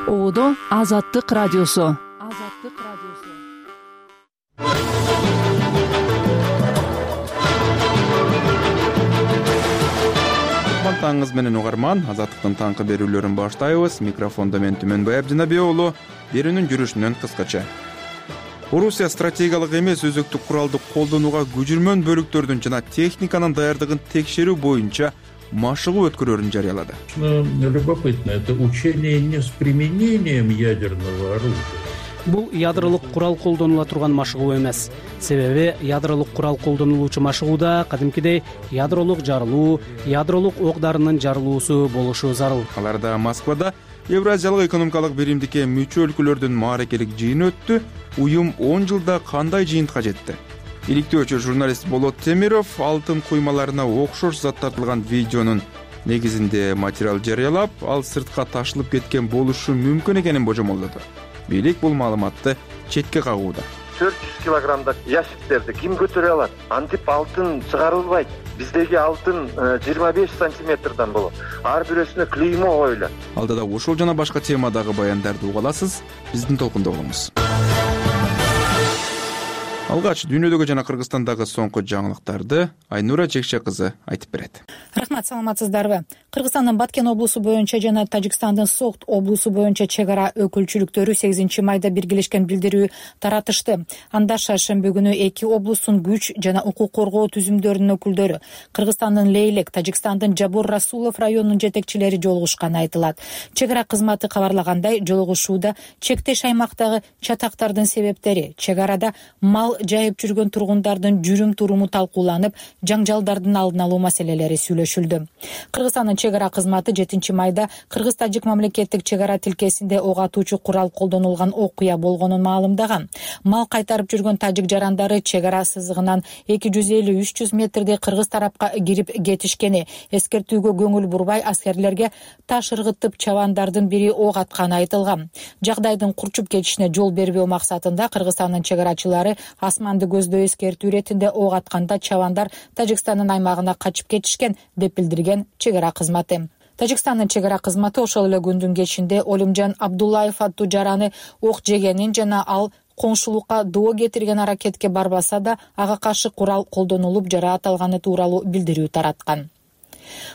Оодо Азаттык радиосу. Таңыңыз менен угарман, Азаттыктын таңкы берүүлөрүн баштайбыз. Микрофондо мен Түмөнбай Абдинабий уулу. Берүүнүн жүрүшүнөн кыскача. Орусия стратегиялык эмес өзөктүк куралды колдонууга көчүрмөн бөлүктөрдүн жана техниканын даярдыгын текшерүү боюнча машыгуу өткөрүүрүн жарыялады. Любопытно, это учение не с применением ядерного оружия. Бул ядролук курал колдонула турган машыгуу эмес. Себеби ядролук курал колдонулуучу машыгууда кадимкидей ядролук жарылуу, ядролук ок дарынын жарылуусу болушу зарыл. Аларда Москвада Евразиялык экономикалык биримдикке мүчө өлкөлөрдүн мааракелик жыйыны өттү. Уюм 10 жылда кандай жыйынтыкка жетти? Иликтөөчү журналист Болот Темиров алтын куймаларына окшош зат тартылган видеонун негизинде материал жарыялап, ал сыртка ташылып кеткен болушу мүмкүн экенин божомолдоду. Бийлик бул маалыматты четке кагууда. 400 килограммдык ящиктерди ким көтөрө алат? Антип алтын чыгарылбайт. Биздеги алтын 25 сантиметрден болот. Ар бирөөсүнө клеймо коюлат. Алдыда ушул жана башка темадагы баяндарды уга аласыз. Биздин толкунда болуңуз. Алгач дүйнөдөгү жана Кыргызстандагы соңку жаңылыктарды Айнура Жекше кызы айтып берет. Рахмат, саламатсыздарбы? Кыргызстандын Баткен облусу боюнча жана Тажикстандын Согд облусу боюнча чек ара өкүлчүлүктөрү 8 майда биргелешкен билдирүү таратышты. Анда шаршемби күнү эки облустун күч жана укук коргоо түзүмдөрүнүн өкүлдөрү, Кыргызстандын Лейлек, Тажикстандын Жабор Расулов районунун жетекчилери жолугушканы айтылат. Чек ара кызматы кабарлагандай, жолугушууда чектеш аймактагы чатактардын себептери, чек арада мал жайып жүргөн тургундардын жүрүм-туруму талкууланып, жаңжалдардын алдын алуу маселелери сүйлөшүлдү. Кыргызстандын чек ара кызматы 7 майда Кыргыз-Тажик мамлекеттик чек ара тилкесинде ок атуучу курал колдонулган окуя болгонун маалымдаган. Мал кайтарып жүргөн тажик жарандары чек ара сызыгынан 250-300 метрдей кыргыз тарапка кирип кетишкени, эскертүүгө көңүл бурбай аскерлерге таш ыргытып чабандардын бири ок атканы айтылган. Жагдайдын курчуп кетишине жол бербөө максатында Кыргызстандын чек арачылары асманды көздөй эскертүү иретинде ок атканда чабандар Тажикстандын аймагына качып кетишкен деп билдирген чек ара кызматы. Тажикстандын чек ара кызматы ошол эле күндүн кечинде Олимжан Абдуллаев аттуу жараны ок жегенин жана ал коңшулукка доо кетирген аракетке барбаса да ага каршы курал колдонулуп жараат алганы тууралуу билдирүү тараткан.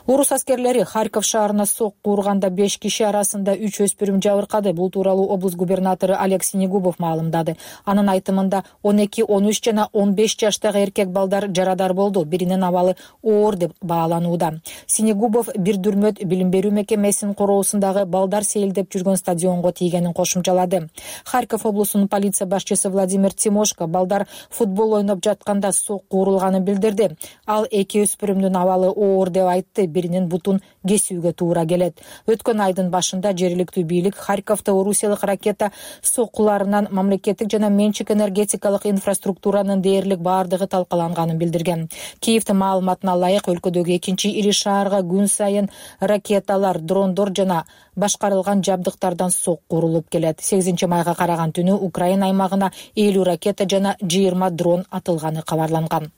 Орус аскерлери Харьков шаарына сокку урганда 5 киши арасында 3 өспүрүм жабыркады. Бул тууралуу облус губернатору Олег Синегубов маалымдады. Анын айтымында 12, 13 жана 15 жаштагы эркек балдар жарадар болду. Биринин абалы оор деп бааланууда. Синегубов бир дүрмөт билим берүү мекемесинин короосундагы балдар сейилдеп жүргөн стадионго тийгенин кошумчалады. Харьков облусунун полиция башчысы Владимир Тимошко балдар футбол ойноп жатканда сокку урулганын билдирди. Ал эки өспүрүмдүн абалы оор деп айтты. Биринин бутун кесүүгө туура келет. Өткөн айдын башында жергиликтүү бийлик Харьковто орусиялык ракета соккуларынан мамлекеттик жана менчик энергетикалык инфраструктуранын дээрлик баардыгы талкаланганын билдирген. Киевдин маалыматына ылайык өлкөдөгү экинчи ири шаарга күн сайын ракеталар, дрондор жана башкарылган жабдыктардан сокку урулуп келет. 8 майга караган түнү Украина аймагына 50 ракета жана 20 дрон атылганы кабарланган.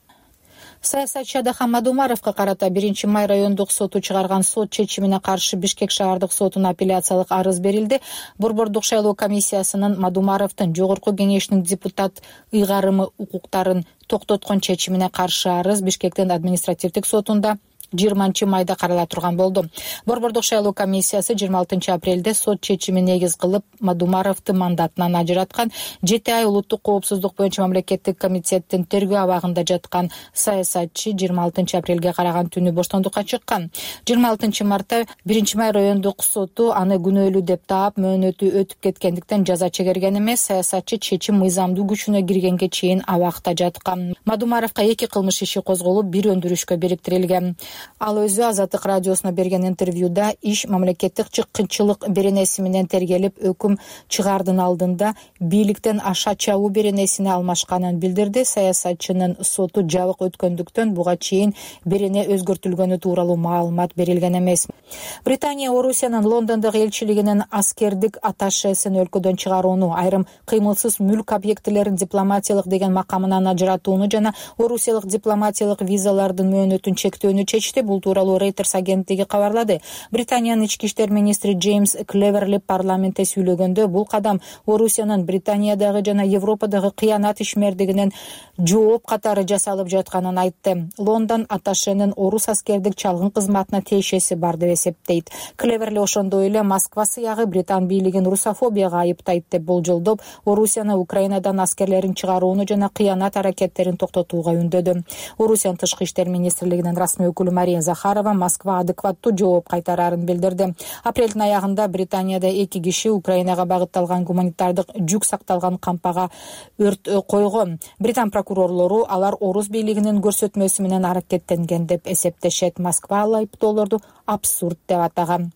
Саясатчы Адахан Мадумаровго карата 1 май райондук соту чыгарган сот чечимине каршы Бишкек шаардык сотуна апелляциялык арыз берилди. Борбордук шайлоо комиссиясынын Мадумаровдун жогорку кеңешинин депутат ыйгарымы укуктарын токтоткон чечимине каршы арыз Бишкектин административдик сотунда 20 майда карала турган болду. Борбордук шайлоо комиссиясы 26 апрелде сот чечими негиз кылып Мадумаровду мандатынан ажыраткан. 7 ай улуттук коопсуздук боюнча мамлекеттик комитеттин тергөө абагында жаткан саясатчы 26 апрелге караган түнү боштондукка чыккан. 26 мартта 1 май райондук соту аны күнөөлүү деп таап, мөөнөтү өтүп кеткендиктен жаза чегерген эмес. Саясатчы чечим мыйзамдуу күчүнө киргенге чейин абакта жаткан. Мадумаровго 2 кылмыш иши козголуп, 1 өндүрүшкө бириктирилген. Ал өзү Азаттык радиосуна берген интервьюда иш мамлекеттик чыккынчылык беренеси менен тергелип, өкүм чыгаардын алдында бийликтен аша чабуу беренесине алмашканын билдирди. Саясатчынын соту жабык өткөндүктөн буга чейин берене өзгөртүлгөнү тууралуу маалымат берилген эмес. Британия Орусиянын Лондондогу элчилигинин аскердик атташесин өлкөдөн чыгарууну, айрым кыймылсыз мүлк объектилерин дипломатиялык деген макамынан ажыратууну жана орусиялык дипломатиялык визалардын мөөнөтүн чектөөнү чечти. кетишти. Бул тууралуу Reuters агенттиги кабарлады. Британиянын ички иштер министри Джеймс Клеверли парламентте сүйлөгөндө бул кадам Орусиянын Британиядагы жана Европадагы кыянат ишмердигинен жооп катары жасалып жатканын айтты. Лондон атташенин орус аскердик чалгын кызматына тиешеси бар деп эсептейт. Клеверли ошондой эле Москва сыягы Британ бийлигин русофобияга айыптайт деп болжолдоп, Орусияны Украинадан аскерлерин чыгарууну жана кыянат аракеттерин токтотууга үндөдү. Орусиянын тышкы иштер министрлигинин расмий өкүлү Мария Захарова Москва адекваттуу жооп кайтарарын билдирди. Апрелдин аягында Британияда 2 киши Украинага багытталган гуманитардык жүк сакталган кампага өрт койгон. Британ прокурорлору алар орус бийлигинин көрсөтмөсү менен аракеттенген деп эсептешет. Москва ал айыптоолорду абсурд деп атаган.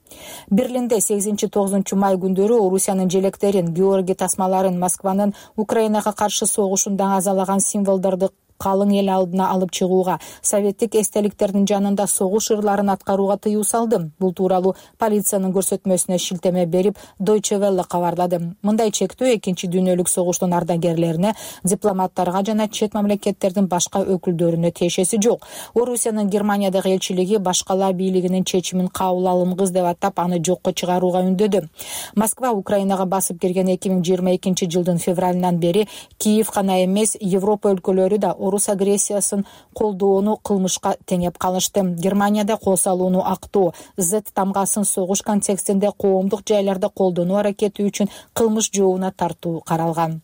Берлинде 8-9 май күндөрү Орусиянын желектерин, Георгий тасмаларын, Москванын Украинага каршы согушунда азалаган символдорду калың эл алдына алып чыгууга, советтик эстеликтердин жанында согуш ырларын аткарууга тыюу салды. Бул тууралуу полициянын көрсөтмөсүнө шилтеме берип Deutsche Welle кабарлады. Мындай чектөө Экинчи дүйнөлүк согуштун ардагерлерине, дипломаттарга жана чет мамлекеттердин башка өкүлдөрүнө тиешеси жок. Орусиянын Германиядагы элчилиги башкалар бийлигинин чечимин кабыл алынгыс деп атап, аны жокко чыгарууга үндөдү. Москва Украинага басып кирген 2022 жылдын февралынан бери Киев гана эмес, Европа өлкөлөрү да орус агрессиясын колдоону кылмышка теңеп калышты. Германияда кол салууну актоо, Z тамгасын согуш контекстинде коомдук жайларда колдонуу аракети үчүн кылмыш жообуна тартуу каралган.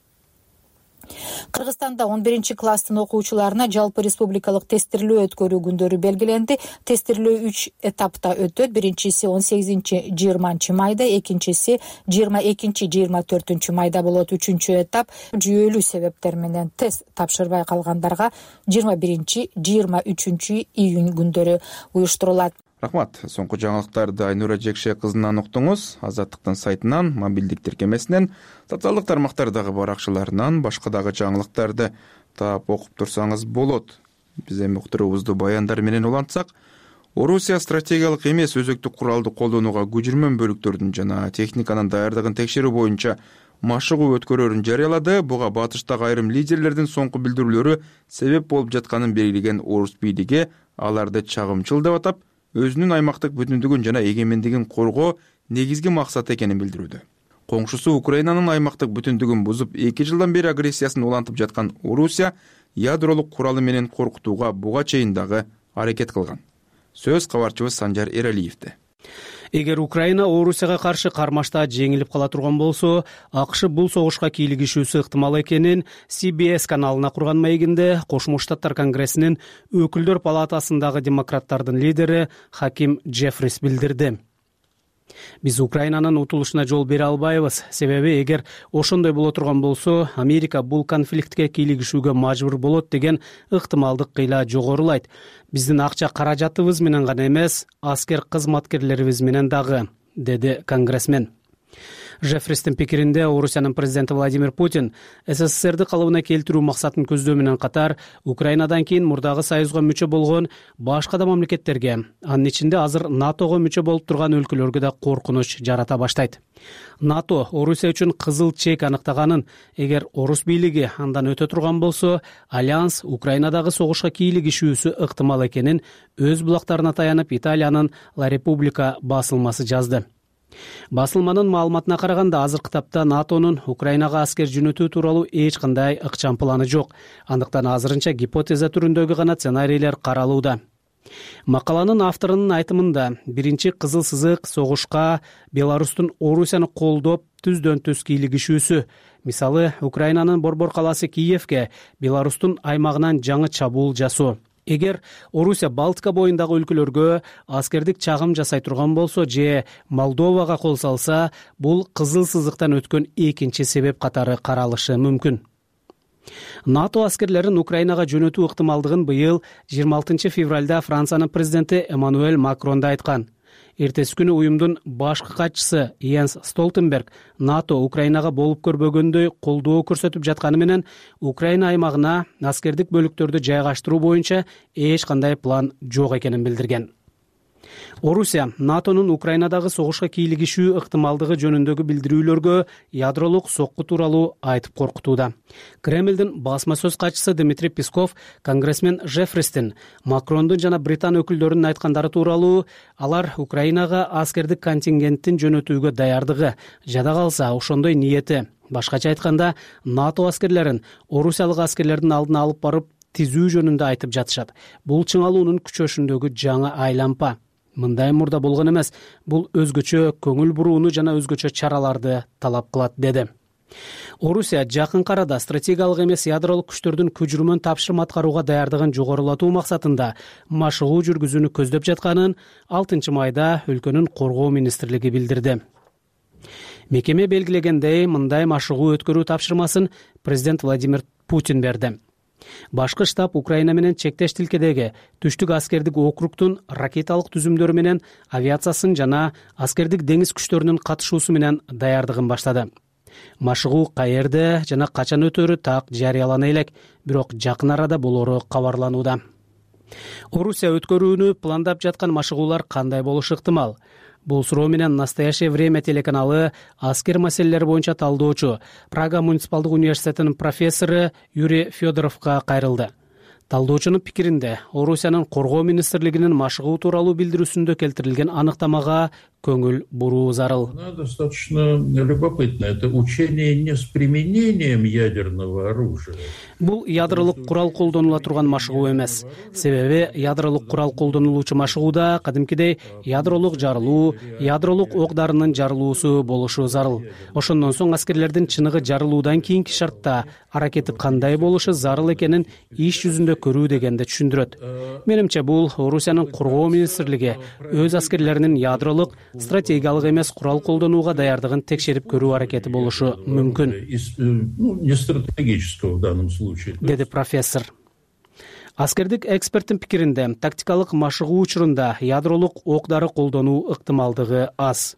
Кыргызстанда 11-класстын окуучуларына жалпы республикалык тестирлөө өткөрүү күндөрү белгиленди. Тестирлөө 3 этапта өтөт. Биринчиси 18-20 майда, экинчиси 22-24 майда болот. Үчүнчү этап жүйөлүү себептер менен тест тапшырбай калгандарга 21-23 июнь күндөрү уюштурулат. Рахмат. Соңку жаңылыктарды Айнура Жекше кызынан уктуңуз. Азаттыктын сайтынан, мобилдик тиркемесинен, социалдык тармактардагы баракчаларынан башка дагы жаңылыктарды таап окуп турсаңыз болот. Биз эми уктуруубузду баяндар менен улантсак, Орусия стратегиялык эмес өзөктүк куралды колдонууга көчүрмөн бөлүктөрдүн жана техниканын даярдыгын текшерүү боюнча машыгуу өткөрөрүн жарыялады. Буга батыштагы айрым лидерлердин соңку билдирүүлөрү себеп болуп жатканын белгилеген орус бийлиги аларды чагымчыл деп атап, өзүнүн аймактык бүтүндүгүн жана эгемендигин коргоо негизги максат экенин билдирүүдө. Коңшусу Украинанын аймактык бүтүндүгүн бузуп 2 жылдан бери агрессиясын улантып жаткан Орусия ядролук куралы менен коркутууга буга чейин дагы аракет кылган. Сөз кабарчыбыз Санжар Эралиевде. Эгер Украина Орусияга каршы кармашта жеңилип кала турган болсо, АКШ бул согушка кийлигишүүсү ыктымал экенин CBS каналына курган маегинде Кошмо Штаттар Конгрессинин өкүлдөр палатасындагы демократтардын лидери Хаким Джеффрис билдирди. Биз Украинанын утулушуна жол бере албайбыз. Себеби эгер ошондой боло турган болсо, Америка бул конфликтке кийлигишүүгө мажбур болот деген ыктымалдык кыйла жогорулайт. Биздин акча каражатыбыз менен гана эмес, аскер кызматкерлерибиз менен дагы, деди конгрессмен. Жеффристин пикиринде Орусиянын президенти Владимир Путин СССРди калыбына келтирүү максатын көздөө менен катар Украинадан кийин мурдагы союзга мүчө болгон башка да мамлекеттерге, анын ичинде азыр НАТОго мүчө болуп турган өлкөлөргө да коркунуч жарата баштайт. НАТО Орусия үчүн кызыл чек аныктаганын, эгер орус бийлиги андан өтө турган болсо, альянс Украинадагы согушка кийлигишүүсү ыктымал экенин өз булактарына таянып Италиянын La Repubblica басылмасы жазды. Басылманын маалыматына караганда, азыркы тапта НАТОнун Украинага аскер жөнөтүү тууралуу эч кандай ыкчам планы жок. Андыктан азырынча гипотеза түрүндөгү гана сценарийлер каралууда. Макаланын авторунун айтымында, биринчи кызыл сызык согушка Беларустун Орусияны колдоп түздөн-түз кийлигишүүсү. Мисалы, Украинанын борбор калаасы Киевке Беларустун аймагынан жаңы чабуул жасоо. Эгер Орусия Балтика боюндагы өлкөлөргө аскердик чагым жасай турган болсо же Молдовага кол салса, бул кызыл сызыктан өткөн экинчи себеп катары каралышы мүмкүн. НАТО аскерлерин Украинага жөнөтүү ыктымалдыгын быйыл 26 февралда Франциянын президенти Эммануэль Макрон да айткан. Эртеси күнү уюмдун башкы катчысы Йенс Столтенберг НАТО Украинага болуп көрбөгөндөй колдоо көрсөтүп жатканы менен Украина аймагына аскердик бөлүктөрдү жайгаштыруу боюнча эч кандай план жок экенин билдирген. Орусия НАТОнун Украинадагы согушка кийлигишүү ыктымалдыгы жөнүндөгү билдирүүлөргө ядролук сокку тууралуу айтып коркутууда. Кремлдин басма сөз катчысы Дмитрий Песков конгрессмен Жеффристин, Макрондун жана Британ өкүлдөрүнүн айткандары тууралуу алар Украинага аскердик контингенттин жөнөтүүгө даярдыгы, жада калса ошондой ниети, башкача айтканда НАТО аскерлерин орусиялык аскерлердин алдына алып барып тизүү жөнүндө айтып жатышат. Бул чыңалуунун күчөшүндөгү жаңы айлампа. Мындай мурда болгон эмес, бул өзгөчө көңүл бурууну жана өзгөчө чараларды талап кылат, деди. Орусия жакынкы арада стратегиялык эмес ядролук күчтөрдүн көчүрмөн тапшырма аткарууга даярдыгын жогорулатуу максатында машыгуу жүргүзүүнү көздөп жатканын 6 майда өлкөнүн коргоо министрлиги билдирди. Мекеме белгилегендей, мындай машыгуу өткөрүү тапшырмасын президент Владимир Путин берди. Башкы штаб Украина менен чектеш тилкедеги түштүк аскердик округтун ракеталык түзүмдөрү менен авиациясын жана аскердик деңиз күчтөрүнүн катышуусу менен даярдыгын баштады. Машыгуу каерде жана качан өтөрү так жарыялана элек, бирок жакын арада болору кабарланууда. Орусия өткөрүүнү пландап жаткан машыгуулар кандай болушу ыктымал? Бул суроо менен «Настоящее время» телеканалы аскер маселелери боюнча талдоочу, Прага муниципалдык университетинин профессору Юрий Федоровго кайрылды. Талдоочунун пикиринде, Орусиянын коргоо министрлигинин машыгуу тууралуу билдирүүсүндө келтирилген аныктамага көңүл буруу зарыл. Достаточно любопытно. Это учение не с применением ядерного оружия. Бул ядролук курал колдонула турган машыгуу эмес. Себеби ядролук курал колдонулуучу машыгууда кадимкидей ядролук жарылуу, ядролук ок дарынын жарылуусу болушу зарыл. Ошондон соң аскерлердин чыныгы жарылуудан кийинки шартта аракети кандай болушу зарыл экенин иш жүзүндө көрүү дегенди түшүндүрөт. Менимче бул Орусиянын коргоо министрлиги өз аскерлеринин ядролук стратегиялык эмес курал колдонууга даярдыгын текшерип көрүү аракети болушу мүмкүн, Не стратегического в данном случае. деди профессор. Аскердик эксперттин пикиринде, тактикалык машыгуу учурунда ядролук ок дары колдонуу ыктымалдыгы аз.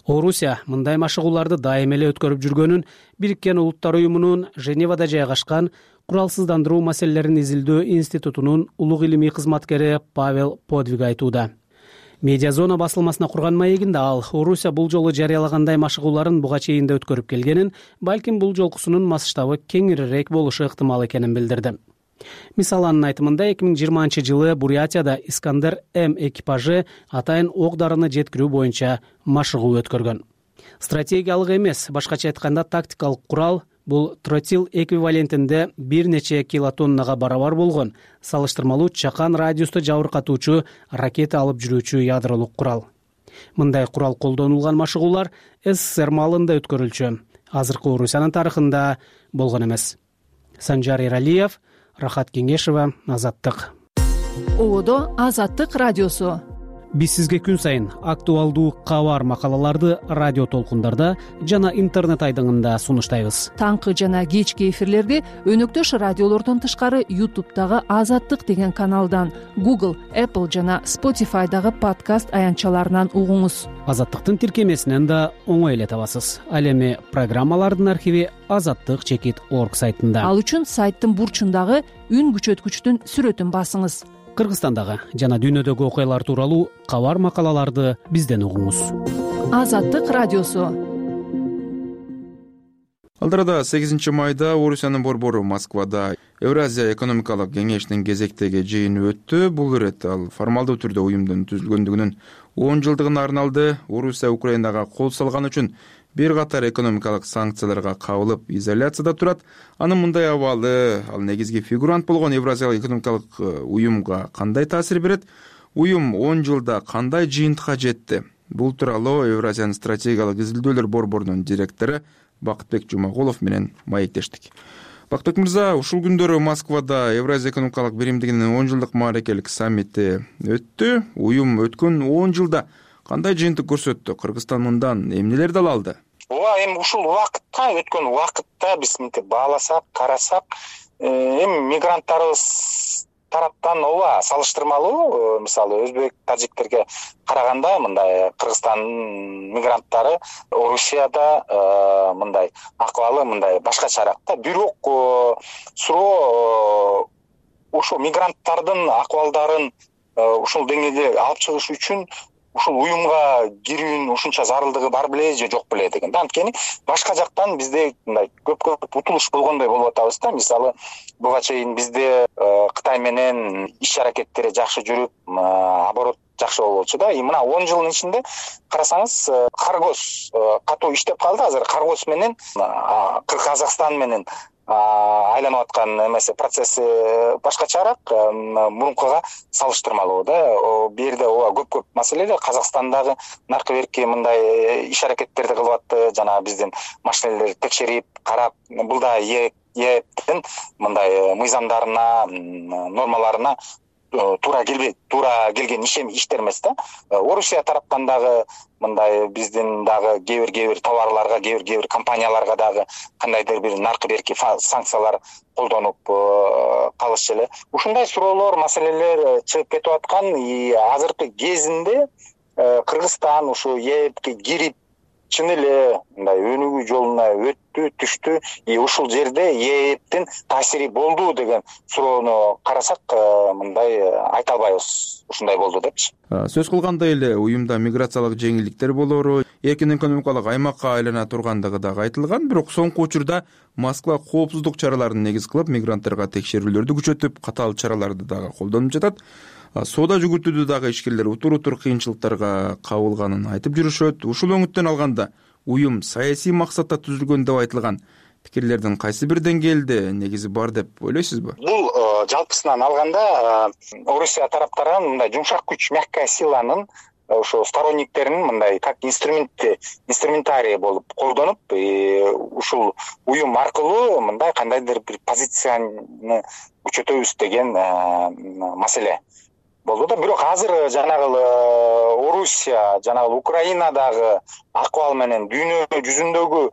Орусия мындай машыгууларды дайым эле өткөрүп жүргөнүн Бириккен Улуттар уюмунун Женевада жайгашкан куралсыздандыруу маселелерин изилдөө институтунун улуг илимий кызматкери Павел Подвиг айтууда. Медиазона басылмасына курган маегинде ал Орусия бул жолу жарыялагандай машыгууларын буга чейин да өткөрүп келгенин, балким бул жолкусунун масштабы кеңирээк болушу ыктымал экенин билдирди. Мисалы, анын айтымында 2020-жылы Бурятияда Искандер-М экипажы атайын ок дарыны жеткирүү боюнча машыгуу өткөргөн. Стратегиялык эмес, башкача айтканда тактикалык курал бул тротил эквивалентинде бир нече килотоннага барабар болгон салыштырмалуу чакан радиусту жабыркатуучу ракета алып жүрүүчү ядролук курал. Мындай курал колдонулган машыгуулар СССР маалында өткөрүлчү, азыркы Орусиянын тарыхында болгон эмес. Санжар Эралиев, Рахат Кеңешева, Азаттык. Ободо Азаттык радиосу. Биз сизге күн сайын актуалдуу кабар макалаларды радио толкундарда жана интернет айдыңында сунуштайбыз. Таңкы жана кечки эфирлерди өнөктөш радиолордон тышкары YouTube'дагы Азаттык деген каналдан, Google, Apple жана Spotify'дагы подкаст аянтчаларынан угуңуз. Азаттыктын тиркемесинен да оңой эле табасыз. Ал эми программалардын архиви azattik.org сайтында. Ал үчүн сайттын бурчундагы үн күчөткүчтүн сүрөтүн басыңыз. Кыргызстандагы жана дүйнөдөгү окуялар тууралуу кабар макалаларды бизден угуңуз. Азаттык радиосу. Алдарада 8 майда Орусиянын борбору Москвада Евразия экономикалык кеңешинин кезектеги жыйыны өттү. Бул ирет ал формалдуу түрдө уюмдун түзүлгөндүгүнүн 10 жылдыгына арналды. Орусия Украинага кол салган үчүн бир катар экономикалык санкцияларга кабылып, изоляцияда турат. Анын мындай абалы ал негизги фигурант болгон Евразиялык экономикалык уюмга кандай таасир берет? Уюм 10 жылда кандай жыйынтыкка жетти? Бул тууралуу Евразиянын стратегиялык изилдөөлөр борборунун директору Бакытбек Жумагулов менен маектештик. Бакытбек мырза, ушул күндөрү Москвада Евразия экономикалык биримдигинин 10 жылдык мааракелик саммити өттү. Уюм өткөн 10 жылда кандай жыйынтык көрсөттү? Кыргызстан мындан эмнелерди ала алды? Ооба, эми ушул убакытта, өткөн убакытта биз мынтип бааласак, карасак, эми мигранттарыбыз тараптан ооба салыштырмалуу, мисалы өзбек, тажиктерге караганда мындай Кыргызстандын мигранттары Орусияда мындай акыбалы мындай башкачараак да. Бирок суроо ошо мигранттардын акыбалдарын ушул деңгээлде алып чыгыш үчүн ушул уюмга кирүүнүн ушунча зарылдыгы бар беле же жок беле деген. Анткени башка жактан бизде мындай көп утулуш болгондой болуп атабыз да. Мисалы буга чейин бизде Кытай менен иш аракеттери жакшы жүрүп, оборот жакшы болчу да. Мына 10 жылдын ичинде карасаңыз, каргоз катуу иштеп калды. Азыр каргоз менен Казакстан менен айланып аткан эмеси процесси башкачараак, мурункуга салыштырмалуу да. Бу жерде ооба көп маселелер. Казакстандагы наркы берки мындай иш аракеттерди кылып атты. Жана биздин машинелерди текшерип, карап, бул да ЕЭПтин мындай мыйзамдарына, нормаларына туура келген иштер эмес да. Орусия тараптан дагы мындай биздин дагы кээ бир товарларга, кээ бир компанияларга дагы кандайдыр бир наркы берки санкциялар колдонуп калышы эле. Ушундай суроолор, маселелер чыгып кетип аткан. Азыркы кезинде Кыргызстан ушу ЕЭПке кирип чын эле мындай өнүгүү жолуна түштү. Ушул жерде ЕЭПтин таасири болду деген суроону карасак, мындай айта албайбыз. Ушундай болду депчи. Сөз кылгандай эле уюмда миграциялык жеңилдиктер болору, эркин экономикалык аймакка айлана тургандыгы дагы айтылган. Бирок соңку учурда Москва коопсуздук чараларын негиз кылып, мигранттарга текшерүүлөрдү күчөтүп, катаал чараларды дагы колдонуп жатат. Соода жүгүртүүдө дагы ишкерлер утур кыйынчылыктарга кабылганын айтып жүрүшөт. Ушул өңүттөн алганда уюм саясий максатта түзүлгөн деп айтылган пикирлердин кайсы бир деңгээлде негизи бар деп ойлойсузбу? Бул жалпысынан алганда Орусия тараптарынан мындай жумшак күч, мягкая силанын ошо сторонниктерин мындай как инструментарий болуп колдонуп, ушул уюм аркылуу мындай кандайдыр бир позицияны күчөтөбүз деген маселе болду да. Бирок азыр жанагы Орусия, жанагы Украинадагы акыбал менен дүйнө жүзүндөгү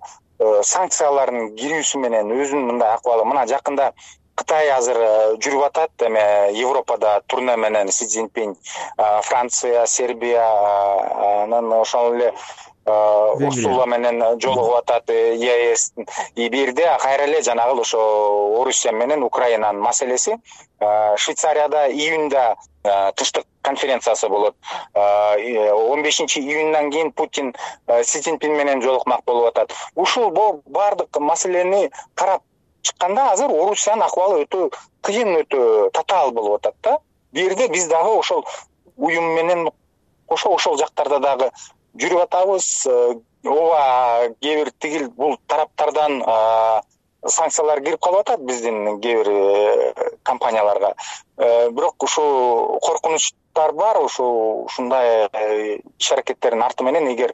санкциялардын кирүүсү менен өзүнүн мындай акыбалы, мына жакында Кытай азыр жүрүп атат, эме Европада турне менен Си Цзиньпин, Франция, Сербиянын ошол эле Урсула менен жолугуп атат ЕС. Бир жерде кайра эле жанагы ошо Орусия менен Украинанын маселеси. Швейцарияда июнда тынчтык конференциясы болот. 15-июндан кийин Путин Си Цзиньпин менен жолукмак болуп атат. Ушул баардык маселени карап чыкканда азыр Орусиянын акыбалы өтө кыйын, өтө татаал болуп атат да. Бул жерде биз дагы ошол уюм менен кошо ошол жактарда дагы жүрүп атабыз. Ооба кээ бир тигил бул тараптардан санкциялар кирип калып атат биздин кээ бир компанияларга. Бирок ушул коркунучтар бар. Ушундай иш аракеттердин арты менен эгер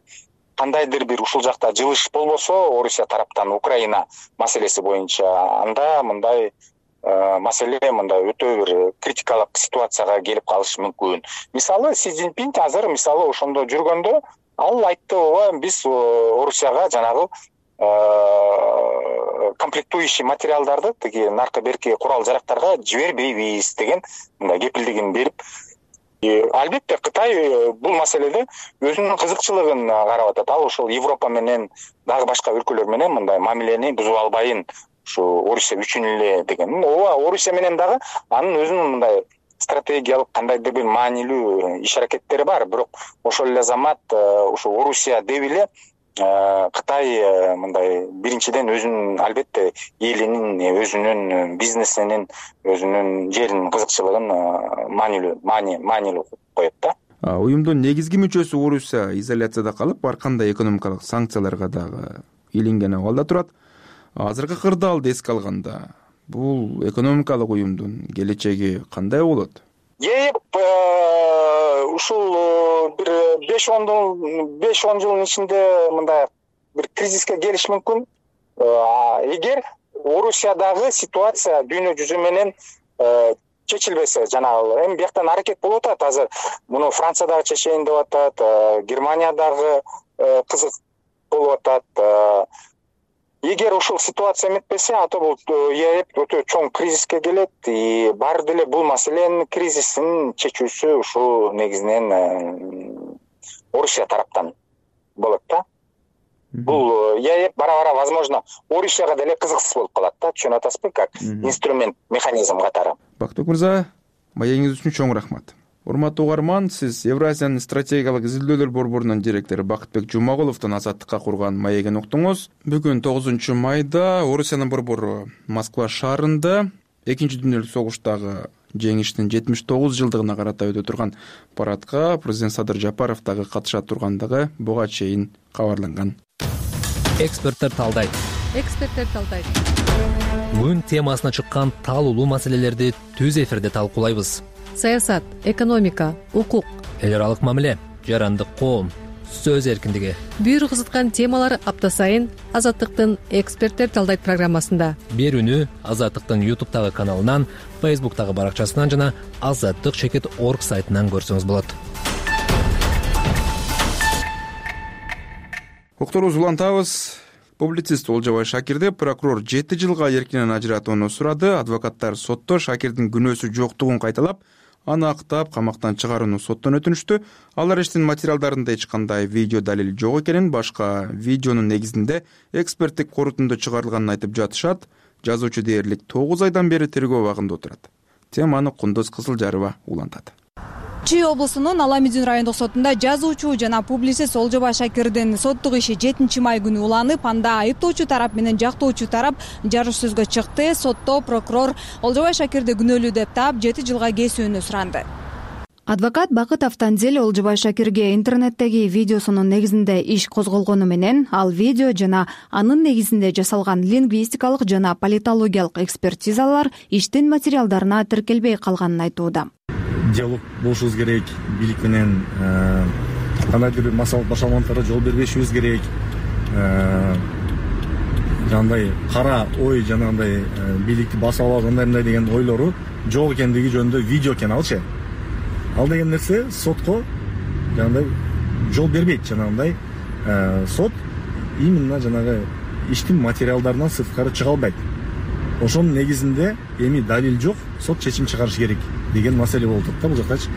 кандайдыр бир ушул жакта жылыш болбосо Орусия тараптан Украина маселеси боюнча, анда мындай маселе мындай өтө бир критикалык ситуацияга келип калышы мүмкүн. Мисалы Си Цзиньпин азыр мисалы ошондо жүргөндө ал айтты, ооба биз Орусияга жанагы комплектующий материалдарды, тиги наркы берки курал жарактарга жибербейбиз деген мындай кепилдигин берип. Албетте Кытай бул маселеде өзүнүн кызыкчылыгын карап атат. Ал ошол Европа менен дагы башка өлкөлөр менен мындай мамилени бузуп албайын, ушу Орусия үчүн эле деген. Ооба Орусия менен дагы анын өзүнүн мындай стратегиялык кандайдыр бир маанилүү иш аракеттери бар. Бирок ошол эле замат ушу Орусия деп эле Кытай мындай биринчиден өзүнүн албетте элинин, өзүнүн бизнесинин, өзүнүн жеринин кызыкчылыгын маанилүү коет да. Уюмдун негизги мүчөсү Орусия изоляцияда калып, ар кандай экономикалык санкцияларга дагы илинген абалда турат. Азыркы кырдаалды эске алганда, бул экономикалык уюмдун келечеги кандай болот? Ушул бир 5-10 жылдын ичинде мындай бир кризиске келиш мүмкүн. Эгер Орусиядагы ситуация дүйнө жүзү менен чечилбесе, жанагы эми бияктан аракет болуп атат. Азыр муну Франциядагы чечейин деп атат, Германиядагы кызык болуп атат. Эгер ушул ситуация эметпесе, ата бул ЕЭП өтө чоң кризиске келет. Баары деле бул маселенин кризисин чечүүсү ушул негизинен Орусия тараптан болот да. Бул ЕЭП бара-бара возможно Орусияга деле кызыксыз болуп калат да. Түшүнүп атасызбы, как инструмент, механизм катары. Бактыбек мырза, маегиңиз үчүн чоң рахмат. урматтуу угарман, сиз Евразиянын стратегиялык изилдөөлөр борборунун директору Бакытбек Жумагуловдун Азаттыкка курган маегин уктуңуз. Бүгүн 9 майда Орусиянын борбору Москва шаарында Экинчи дүйнөлүк согуштагы жеңиштин 79 жылдыгына карата өтө турган парадка президент Садыр Жапаров дагы катыша тургандыгы буга чейин кабарланган. Эксперттер талдайт. Күн темасына чыккан талуулуу маселелерди түз эфирде талкуулайбыз. Саясат, экономика, укук, эл аралык мамиле, жарандык коом, сөз эркиндиги. бүйүр кызыткан темалар апта сайын Азаттыктын эксперттер талдайт программасында. Берүүнү Азаттыктын YouTube'тагы каналынан, Facebook'тагы баракчасынан жана azattik.org сайтынан көрсөңүз болот. Уктурубузду улантабыз. Публицист Олжобай Шакирди прокурор 7 жылга эркинен ажыратууну сурады. Адвокаттар сотто Шакирдин күнөөсү жоктугун кайталап, аны актап камактан чыгарууну соттон өтүнүштү. Алар иштин материалдарында эч кандай видео далил жок экенин, башка видеонун негизинде эксперттик корутунду чыгарылганын айтып жатышат. Жазуучу дээрлик 9 айдан бери тергөө абагында отурат. Теманы Кундуз Кызылжарова улантат. Чүй облусунун Аламедин райондук сотунда жазуучу жана публицист Олжобай Шакирдин соттук иши 7 май күнү уланып, анда айыптоочу тарап менен жактоочу тарап жарыш сөзгө чыкты. Сотто прокурор Олжобай Шакирди күнөөлүү деп таап 7 жылга кесүүнү суранды. Адвокат Бакыт Автанзел Олжобай Шакирге интернеттеги видеосунун негизинде иш козголгону менен, ал видео жана анын негизинде жасалган лингвистикалык жана политологиялык экспертизалар иштин материалдарына тиркелбей калганын айтууда. Диалог болушубуз керек, бийлик менен кандайдыр массалык башаламаларга жол бербешибиз керек. Жандай кара ой жанагындай бийликти басып алып кандай деген ойлору жок экендиги жөнүндө видео экен алчы. Ал деген нерсе сотко жанагындай жол бербейт. Жанагындай сот именно жанагы иштин материалдарынан сырткары чыга албайт. Ошонун негизинде эми далил жок, сот чечим чыгарыш керек деген маселе болуп да бул жактачы.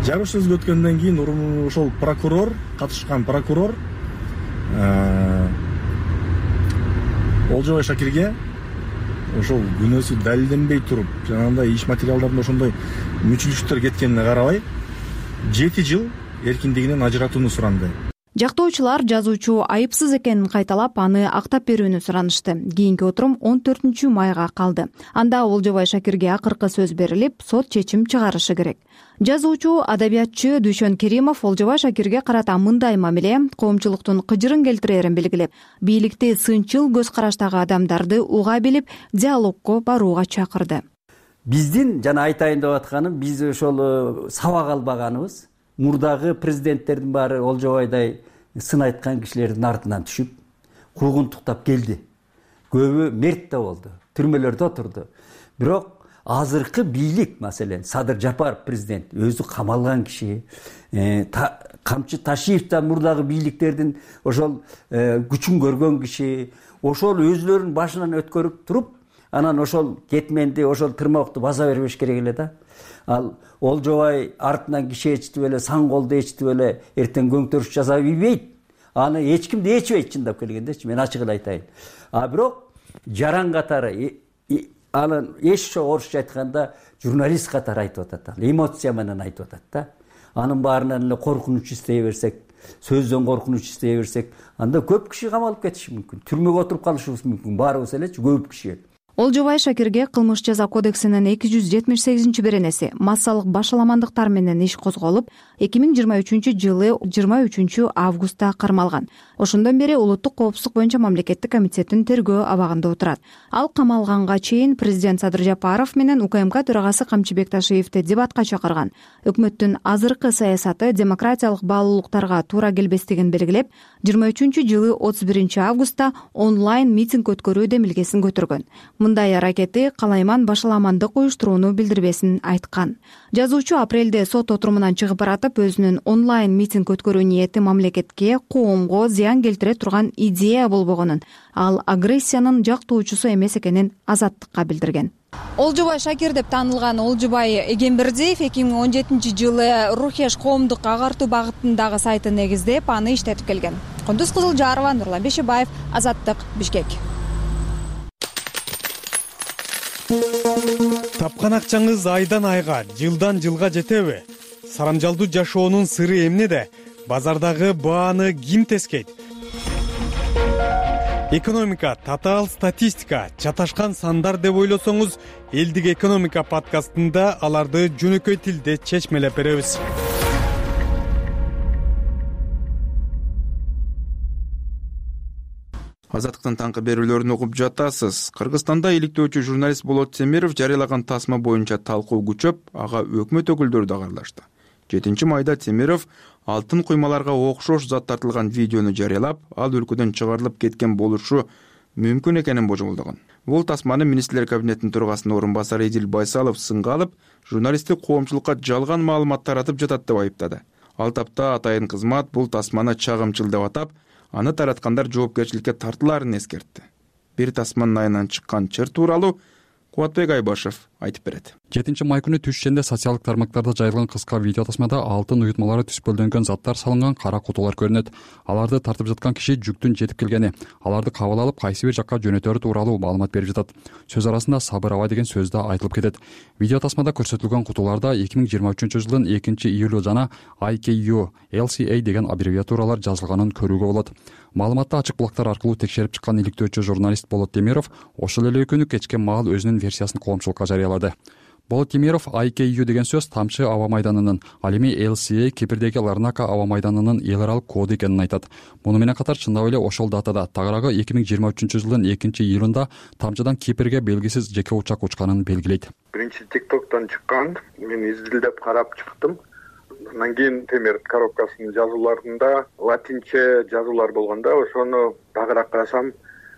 Жарыш сөзгө өткөндөн кийин ошол прокурор, катышкан прокурор Олжобай Шакирге ошол күнөөсү далилденбей туруп, жанагындай иш материалдарында ошондой мүчүлүштөр кеткенине карабай 7 жыл эркиндигинен ажыратууну суранды. Жактоочулар жазуучу айыпсыз экенин кайталап, аны актап берүүнү суранышты. Кийинки отурум 14 майга калды. Анда Олжобай Шакирге акыркы сөз берилип, сот чечим чыгарышы керек. Жазуучу, адабиятчы Дүйшөн Керимов Олжобай Шакирге карата мындай мамиле коомчулуктун кыжырын келтирерин белгилеп, бийликти сынчыл көз караштагы адамдарды уга билип, диалогко барууга чакырды. Биздин жана айтайын деп атканым, биз ошол сабак албаганыбыз, мурдагы президенттердин баары Олжобайдай сын айткан кишилердин артынан түшүп, куугунтуктап келди. Көбү мерт да болду, түрмөлөрдө отурду. Бирок азыркы бийлик, маселен, Садыр Жапаров президент өзү камалган киши, Камчы Ташиев да мурдагы бийликтердин ошол күчүн көргөн киши, ошол өзлөрүнүн башынан өткөрүп туруп, анан ошол кетменди, ошол тырмакты баса бербеш керек эле да. Ал Олжобай артынан киши ээрчитип эле, сан колду ээрчитип эле эртең көңтөрүш жасап ийбейт. Аны эч ким да ээрчибейт, чындап келгендечи, мен ачык эле айтайын. Бирок жаран катары, анын эч орусча айтканда журналист катары айтып атат, эмоция менен айтып атат да. Анын баарынан эле коркунуч издей берсек, сөздөн коркунуч издей берсек, анда көп киши камалып кетиши мүмкүн. Түрмөгө отуруп калышыбыз мүмкүн. Баарыбыз элечи, көп киши. Олжобай Шакирге кылмыш жаза кодексинин 278-беренеси массалык башаламандыктар менен иш козголуп, 2023-жылы 23 августта кармалган. Ошондон бери улуттук коопсуздук боюнча мамлекеттик комитеттин тергөө абагында отурат. Ал камалганга чейин президент Садыр Жапаров менен УКМК төрагасы Камчы Бекташиевди дебатка чакырган. Өкмөттүн азыркы саясаты демократиялык баалуулуктарга туура келбестигин белгилеп, 23-жылы 31 августта онлайн митинг өткөрүү демилгесин көтөргөн. Мындай аракети калайман башаламандык уюштурууну билдирбесин айткан. Жазуучу апрелде сот отурумунан чыгып баратып, өзүнүн онлайн митинг өткөрүү ниети мамлекетке, коомго зыян келтире турган идея болбогонун, ал агрессиянын жактоочусу эмес экенин Азаттыкка билдирген. Олжобай Шакир деп таанылган Олжобай Эгембердиев 2017-жылы Рухеш коомдук агартуу багытындагы сайтын негиздеп, аны иштетип келген. Кундуз Кызылжарова, Нурлан Бешебаев, Азаттык, Бишкек. Тапкан акчаңыз айдан айга, жылдан жылга жетеби? Сарамжалдуу жашоонун сыры эмнеде? Базардагы бааны ким тескейт? Экономика, татаал статистика, чаташкан сандар деп ойлосоңуз, Элдик экономика подкастында аларды жөнөкөй тилде чечмелеп беребиз. Азаттыктын таңкы берүүлөрүн угуп жатасыз. Кыргызстанда иликтөөчү журналист Болот Темиров жарыялаган тасма боюнча талкуу күчөп, ага өкмөт өкүлдөрү да аралашты. 7-майда Темиров алтын куймаларга окшош зат тартылган видеону жарыялап, ал өлкөдөн чыгарылып кеткен болушу мүмкүн экенин божомолдогон. Бул тасманы министрлер кабинетинин төрагасынын орун басары Эдил Байсалов сынга алып, журналисттик коомчулукка жалган маалымат таратып жатат деп айыптады. Ал тапта атайын кызмат бул тасманы чагымчыл деп атап, аны тараткандар жоопкерчиликке тартылаарын эскертти. Бир тасманын айынан чыккан чыр тууралуу Кубатбек Айбашев айтып берет. 7-май күнү түш ишенде социалдык тармактарда жайылган кыска видео тасмада алтын уютмалары түспөлдөнгөн заттар салынган кара кутулар көрүнөт. Аларды тартып жаткан киши жүктүн жетип келгени, аларды кабыл алып кайсы бир жакка жөнөтөрү тууралуу маалымат берип жатат. Сөз арасында сабыр аба деген сөз да айтылып кетет. Видео тасмада көрсөтүлгөн кутуларда 2023-жылдын 2-июлу жана IKU LCA деген аббревиатуралар жазылганын көрүүгө болот. Маалыматты ачык булактар аркылуу текшерип чыккан иликтөөчү журналист Болот Темиров ошол эле күнү кечке маал өзүнүн версиясын коомчулукка жарыялады. Болот Темиров IKU деген сөз Тамчы аба майданынын, ал эми LCA Кипрдеги Ларнака аба майданынын эл аралык коду экенин айтат. Муну менен катар чындап эле ошол датада тагыраагы 2023-жылдын 2-июлунда Тамчыдан Кипрге белгисиз жеке учак учканын белгилейт. Биринчи TikTok'тон чыккан, мен изилдеп карап чыктым. Андан кийин темир коробкасынын жазууларында латинче жазуулар болгондо, ошону тагыраак карасам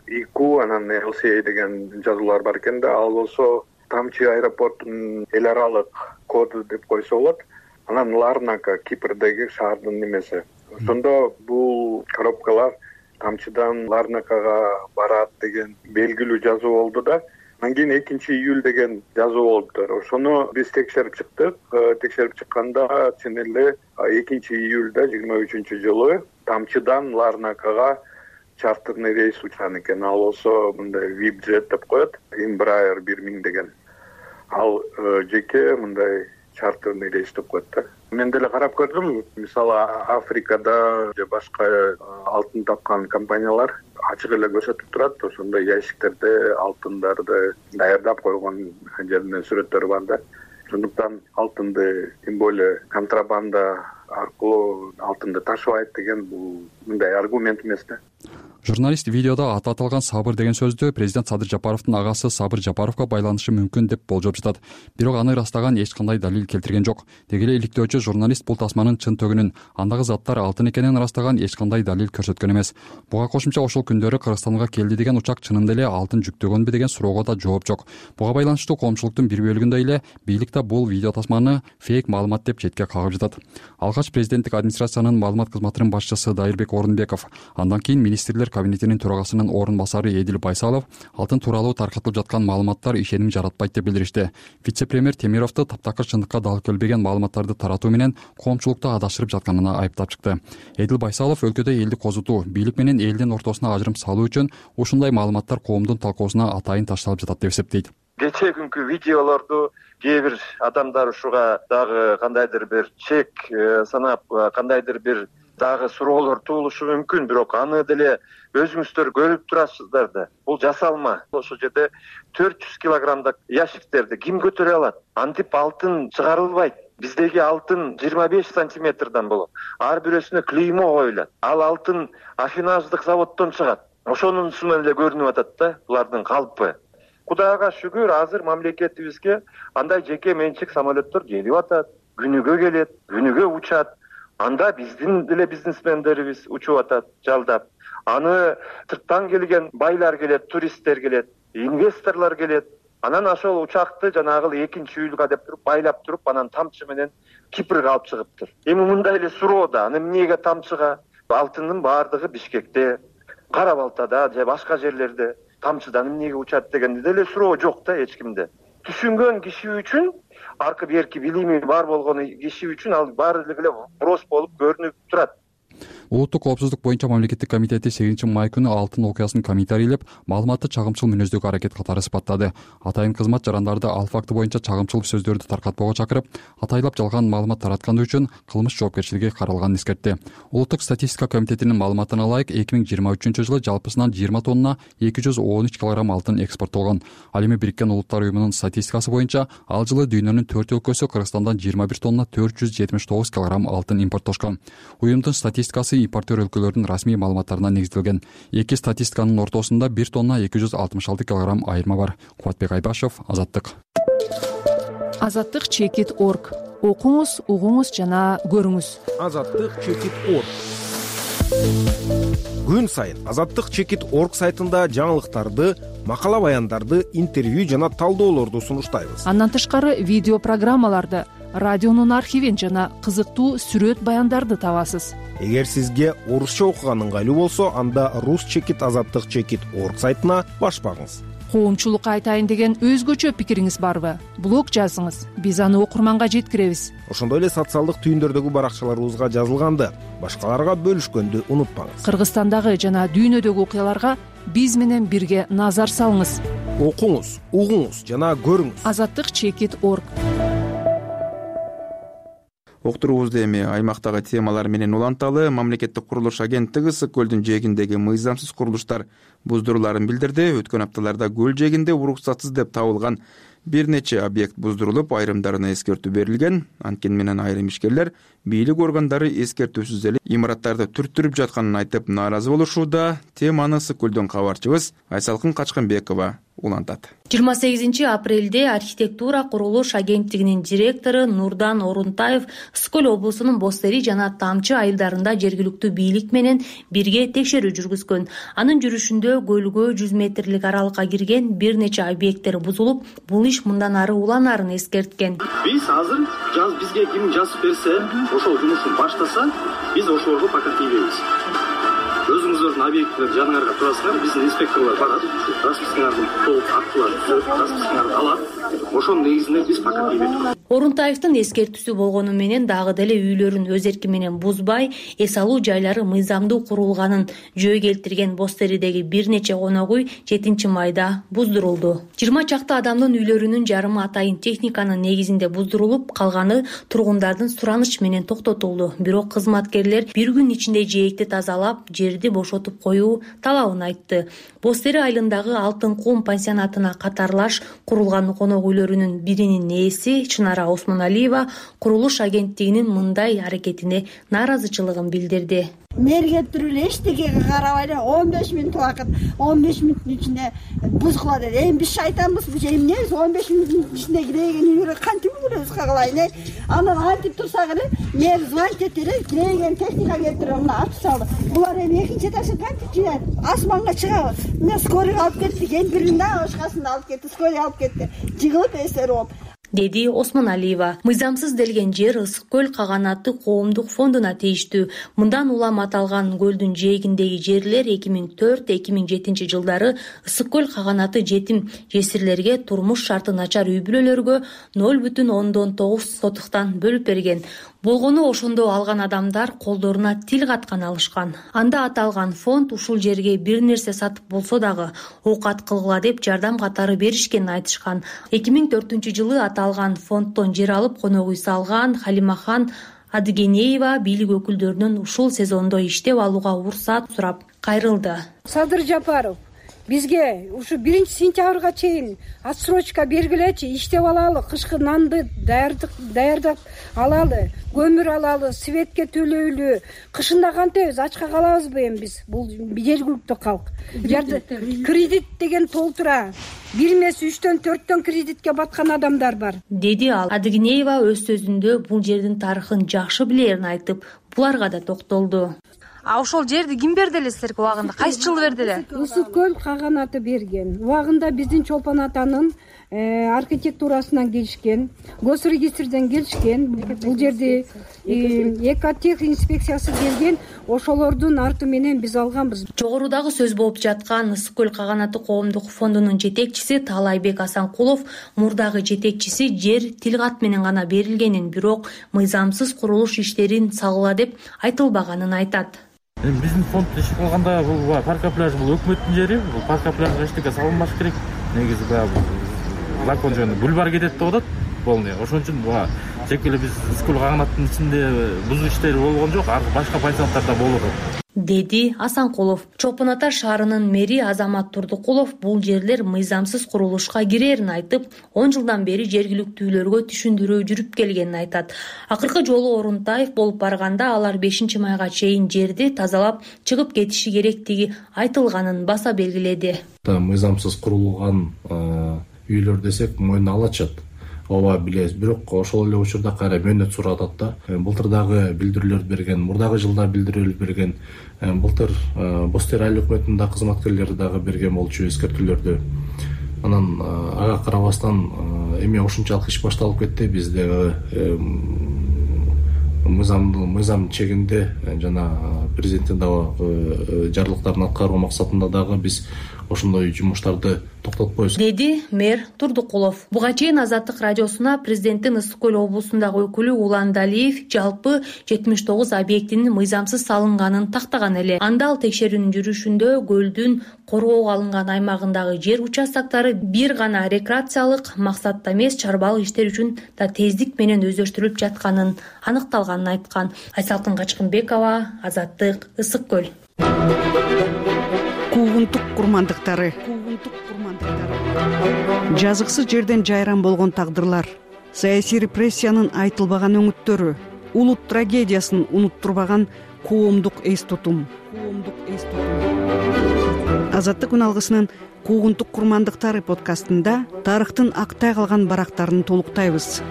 IQ анан LCA деген жазуулар бар экен да, ал болсо Тамчы аэропортунун эл аралык коду деп койсо болот. Анан Ларнака Кипрдеги шаардын немеси. Ошондо бул коробкалар Тамчыдан Ларнакага барат деген белгилүү жазуу болду да. Андан кийин 2-июль деген жазуу болуптур. Ошону биз текшерип чыктык. Текшерип чыкканда чын эле 2-июлда 23-жылы Тамчыдан Ларнакага чартерный рейс учкан экен. Ал болсо мындай VIP-джет деп коет. Embraer 1000 деген. Ал жеке мындай чартерный рейс деп коет да. Мен деле карап көрдүм. Мисалы Африкада же башка алтын тапкан компаниялар ачык эле көрсөтүп турат. Ошондой ящиктерде алтындарды даярдап койгон жеринен сүрөттөрү бар да. Ошондуктан алтынды тем более контрабанда аркылуу алтынды ташыбайт деген бул мындай аргумент эмес да. Журналист видеодо аты аталган Сабыр деген сөздү президент Садыр Жапаровдун агасы Сабыр Жапаровго байланышы мүмкүн деп болжоп жатат. Бирок аны ырастаган эч кандай далил келтирген жок. Деги эле иликтөөчү журналист бул тасманын чын төгүнүн, андагы заттар алтын экенин ырастаган эч кандай далил көрсөткөн эмес. Буга кошумча ошол күндөрү Кыргызстанга келди деген учак чынында эле алтын жүктөгөнбү деген суроого да жооп жок. Буга байланыштуу коомчулуктун бир бөлүгүндөй эле бийлик да бул видео тасманы фейк маалымат деп четке кагып жатат. Алгач президенттик администрациянын маалымат кызматынын башчысы Дайырбек Орунбеков, андан кийин министрлер кабинетинин төрагасынын орун басары Эдил Байсалов алтын тууралуу таркатылып жаткан маалыматтар ишеним жаратпайт деп билдиришти. Вице-премьер Темировду таптакыр чындыкка дал келбеген маалыматтарды таратуу менен коомчулукту адашырып жатканына айыптап чыкты. Эдил Байсалов өлкөдө элди козутуу, бийлик менен элдин ортосуна ажырым салуу үчүн ушундай маалыматтар коомдун талкуусуна атайын ташталып жатат деп эсептейт. Кечээ күнкү видеолорду кээ бир адамдар ушуга дагы кандайдыр бир чек санап, кандайдыр бир дагы суроолор туулушу мүмкүн, бирок аны деле өзүңүздөр көрүп турасыздар да. Бул жасалма. Ошол жерде 400 килограммдык ящиктерди ким көтөрө алат? Антип алтын чыгарылбайт. Биздеги алтын 25 сантиметрден болот. Ар бирөөсүнө клеймо коюлат. Ал алтын афинаждык заводдон чыгат. Ошонусунан эле көрүнүп атат да булардын калпы. Кудайга шүгүр, азыр мамлекетибизге андай жеке менчик самолеттор келип атат, күнүгө келет, күнүгө учат. Анда биздин деле бизнесмендерибиз учуп атат, жалдап. Аны сырттан келген байлар келет, туристтер келет, инвесторлор келет. Анан ошол учакты жанагы 2-июлга деп туруп байлап туруп, анан Тамчы менен Кипрге алып чыгыптыр. Эми мындай эле суроо да, аны эмнеге Тамчыга? Алтындын баардыгы Бишкекте, Кара Балтада же башка жерлерде. Тамчыдан эмнеге учат дегенде деле суроо жок да эч кимде. Түшүнгөн киши үчүн, аркы берки билими бар болгон киши үчүн ал баары эле вопрос болуп көрүнүп турат. Улуттук коопсуздук боюнча мамлекеттик комитети 8 май күнү алтын окуясын комментарийлеп, маалыматты чагымчыл мүнөздөгү аракет катары сыпаттады. Атайын кызмат жарандарды ал факты боюнча чагымчыл сөздөрдү таркатпоого чакырып, атайлап жалган маалымат таратканы үчүн кылмыш жоопкерчилиги каралганын эскертти. Улуттук статистика комитетинин маалыматына ылайык 2023 жылы жалпысынан 20 тонна 213 килограмм алтын экспорттолгон. Ал эми Бириккен Улуттар уюмунун статистикасы боюнча ал жылы дүйнөнүн 4 өлкөсү Кыргызстандан 21 тонна 479 килограмм алтын импорттошкон. Уюмдун статистикасы импортер өлкөлөрдүн расмий маалыматтарына негизделген. Эки статистиканын ортосунда 1 тонна 266 килограмм айырма бар. Кубатбек Айбашев, Азаттык. Азаттык.org. Окуңуз, угуңуз жана көрүңүз. Азаттык.org. Күн сайын Азаттык.org сайтында жаңылыктарды, макала баяндарды, интервью жана талдоолорду сунуштайбыз. Андан тышкары видео программаларды, радионун архивин жана кызыктуу сүрөт баяндарды табасыз. Эгер сизге орусча окуган ыңгайлуу болсо, анда Rus.Azаттык.org сайтына баш багыңыз. Коомчулукка айтайын деген өзгөчө пикириңиз барбы? Блог жазыңыз, биз аны окурманга жеткиребиз. Ошондой эле социалдык түйүндөрдөгү баракчаларыбызга жазылганды башкаларга бөлүшкөндү унутпаңыз. Кыргызстандагы жана дүйнөдөгү окуяларга биз менен бирге назар салыңыз. Окуңуз, угуңуз жана көрүңүз. Azаттык.org. Октурубузду эми аймактагы темалар менен уланталы. Мамлекеттик курулуш агенттиги Ысык көлдүн жээгиндеги мыйзамсыз курулуштар буздуруларын билдирди. Өткөн апталарда көл жээгинде уруксатсыз деп табылган бир нече объект буздурулуп, айрымдарына эскертүү берилген. Анткени менен айрым ишкерлер бийлик органдары эскертүүсүз эле имараттарды түрттүрүп жатканын айтып нааразы болушууда. Теманы Ысык көлдөн кабарчыбыз Айсалкын Качкынбекова улантат. 28 апрелде архитектура курулуш агенттигинин директору Нурдан Орунтаев Ысык көл облусунун Бостери жана Тамчы айылдарында жергиликтүү бийлик менен бирге текшерүү жүргүзгөн. Анын жүрүшүндө көлгө 100 метрлик аралыкка кирген бир нече объекттер бузулуп, бул иш мындан ары уланарын эскерткен. Биз азыр бизге ким жазып берсе, ошол жумушту баштаса, биз ошолорго пока тийбейбиз. Өзүңүздөрдүн объекттер жаныңарга турасыңар, биздин инспекторлор барат, распискаңарды толук аттылар, распискаңарды алат. Ошонун негизинде биз пока тийбейбиз. Орунтаевдин эскертүүсү болгону менен дагы деле үйлөрүн өз эрки менен бузбай, эс алуу жайлары мыйзамдуу курулганын жөө келтирген Бостеридеги бир нече конок үй 7 майда буздурулду. 20 чакты адамдын үйлөрүнүн жарымы атайын техниканын негизинде буздурулуп, калганы тургундардын суранышы менен токтотулду. Бирок кызматкерлер бир күн ичинде жээкти тазалап, жерди бошотуп коюу талабын айтты. Бостери айылындагы Алтын кум пансионатына катарлаш курулган конок үйлөрүнүн биринин ээси Чынара Осмоналиева курулуш агенттигинин мындай аракетине нааразычылыгын билдирди. Мэрге эле эчтекеге карабай эле 15 мүнөт убакыт, 15 мүнөттүн ичинде бузгула деди. Эми биз шайтанбыз, бул эмнебиз 15 мүнөттүн ичинде киреген үйлөргө кантип үлгүрөбүз кагалайын? Анан антип турсак эле мэр звонить этти эле, киреген техника келтирип мына ачып салды. Булар эми экинчи этаждан кантип жыйнайт? Асманга чыгабы? Мен скорыйга алып кеттик, эми биринде башкасында алып кетти, скорый алып кетти. Жыгылып эстери болуп, деди Осмоналиева. Мыйзамсыз делген жер Ысык көл каганаты коомдук фондуна тийиштүү. Мындан улам аталган көлдүн жээгиндеги жерлер 2004-2007 жылдары Ысык көл каганаты жетим жесирлерге турмуш шарты начар үй бүлөлөргө 0,9 сотуктан бөлүп берген. Болгону ошондо алган адамдар колдоруна тил каткан алышкан. Анда аталган фонд ушул жерге бир нерсе сатып болсо дагы оокат кылгыла деп жардам катары беришкенин айтышкан. 2004 жылы аталган фонддон жер алып конок үй салган Халимахан Адыгенеева бийлик өкүлдөрүнөн ушул сезондо иштеп алууга уруксат сурап кайрылды. Садыр Жапаров, бизге ушу 1-сентябрга чейин отсрочка бергилечи, иштеп алалы, кышкы нанды даярдап алалы, көмүр алалы, светке төлөйлү. Кышында кантебиз, ачка калабызбы эми биз? Бул жергиликтүү калк. Кредит деген толтура. 1 эмес 3-төн 4төн кредитке баткан адамдар бар, деди ал. Адыгенеева өз сөзүндө бул жердин тарыхын жакшы билерин айтып, буларга да токтолду. А ошол жерди ким берди эле силерге убагында? Кайсы жылы берди эле? Ысык көл каганаты берген. Убагында биздин Чолпон атанын архитектурасынан келишкен, госрегистрден келишкен. Бул жерди экотех инспекциясы келген, ошолордун арты менен биз алганбыз. Жогорудагы сөз болуп жаткан Ысык көл каганаты коомдук фондунун жетекчиси Таалайбек Асанкулов мурдагы жетекчиси жер тилкат менен гана берилгенин, бирок мыйзамсыз курулуш иштерин салгыла деп айтылбаганын айтат. Биздин фонд иш кылганда бул парка пляж бул өкмөттүн жери, бул парка пляжга эчтеке салынбаш керек. Негизи баягы закон жөнүндө бульвар кетет деп атат полный. Ошон үчүн тек эле биз Ысыкөл каганаттын ичинде бузуу иштери болгон жок, башка пансионаттарда болуп атат, деди Асанкулов. Чолпон Ата шаарынын мэри Азамат Турдукулов бул жерлер мыйзамсыз курулушка кирерин айтып, 10 жылдан бери жергиликтүүлөргө түшүндүрүү жүрүп келгенин айтат. Акыркы жолу Орунтаев болуп барганда алар 5-майга чейин жерди тазалап чыгып кетиши керектиги айтылганын баса белгиледи. Мыйзамсыз курулган үйлөр десек мойнуна алачат. Ооба билебиз, бирок ошол эле учурда кайра мөөнөт суратат да. Былтыр дагы билдирүүлөрдү берген, мурдагы жылда билдирүүлөр берген. Былтыр Бостер айыл өкмөтүнүн кызматкерлери дагы берген болчу эскертүүлөрдү. Анан ага карабастан эми ушунчалык иш башталып кетти. Биз дагы мыйзам чегинде жана президенттин дагы жарлыктарын аткаруу максатында дагы биз ошондой жумуштарды токтотпойбуз, деди мэр Турдукулов. Буга чейин Азаттык радиосуна президенттин Ысык көл облусундагы өкүлү Улан Далиев жалпы 79 объектинин мыйзамсыз салынганын тактаган эле. Анда ал текшерүүнүн жүрүшүндө көлдүн коргоого алынган аймагындагы жер участоктары бир гана рекреациялык максатта эмес, чарбалык иштер үчүн да тездик менен өздөштүрүлүп жатканын аныкталганын айткан. Айсалтын Качкынбекова, Азаттык, Ысык көл. Куугунтук курмандыктары. Жазыксыз жерден жайран болгон тагдырлар, саясий репрессиянын айтылбаган өңүттөрү, улут трагедиясын унуттурбаган коомдук эс тутум. Азаттык күн алгысынын Куугунтук курмандыктары подкастында тарыхтын актай калган барактарын толуктайбыз.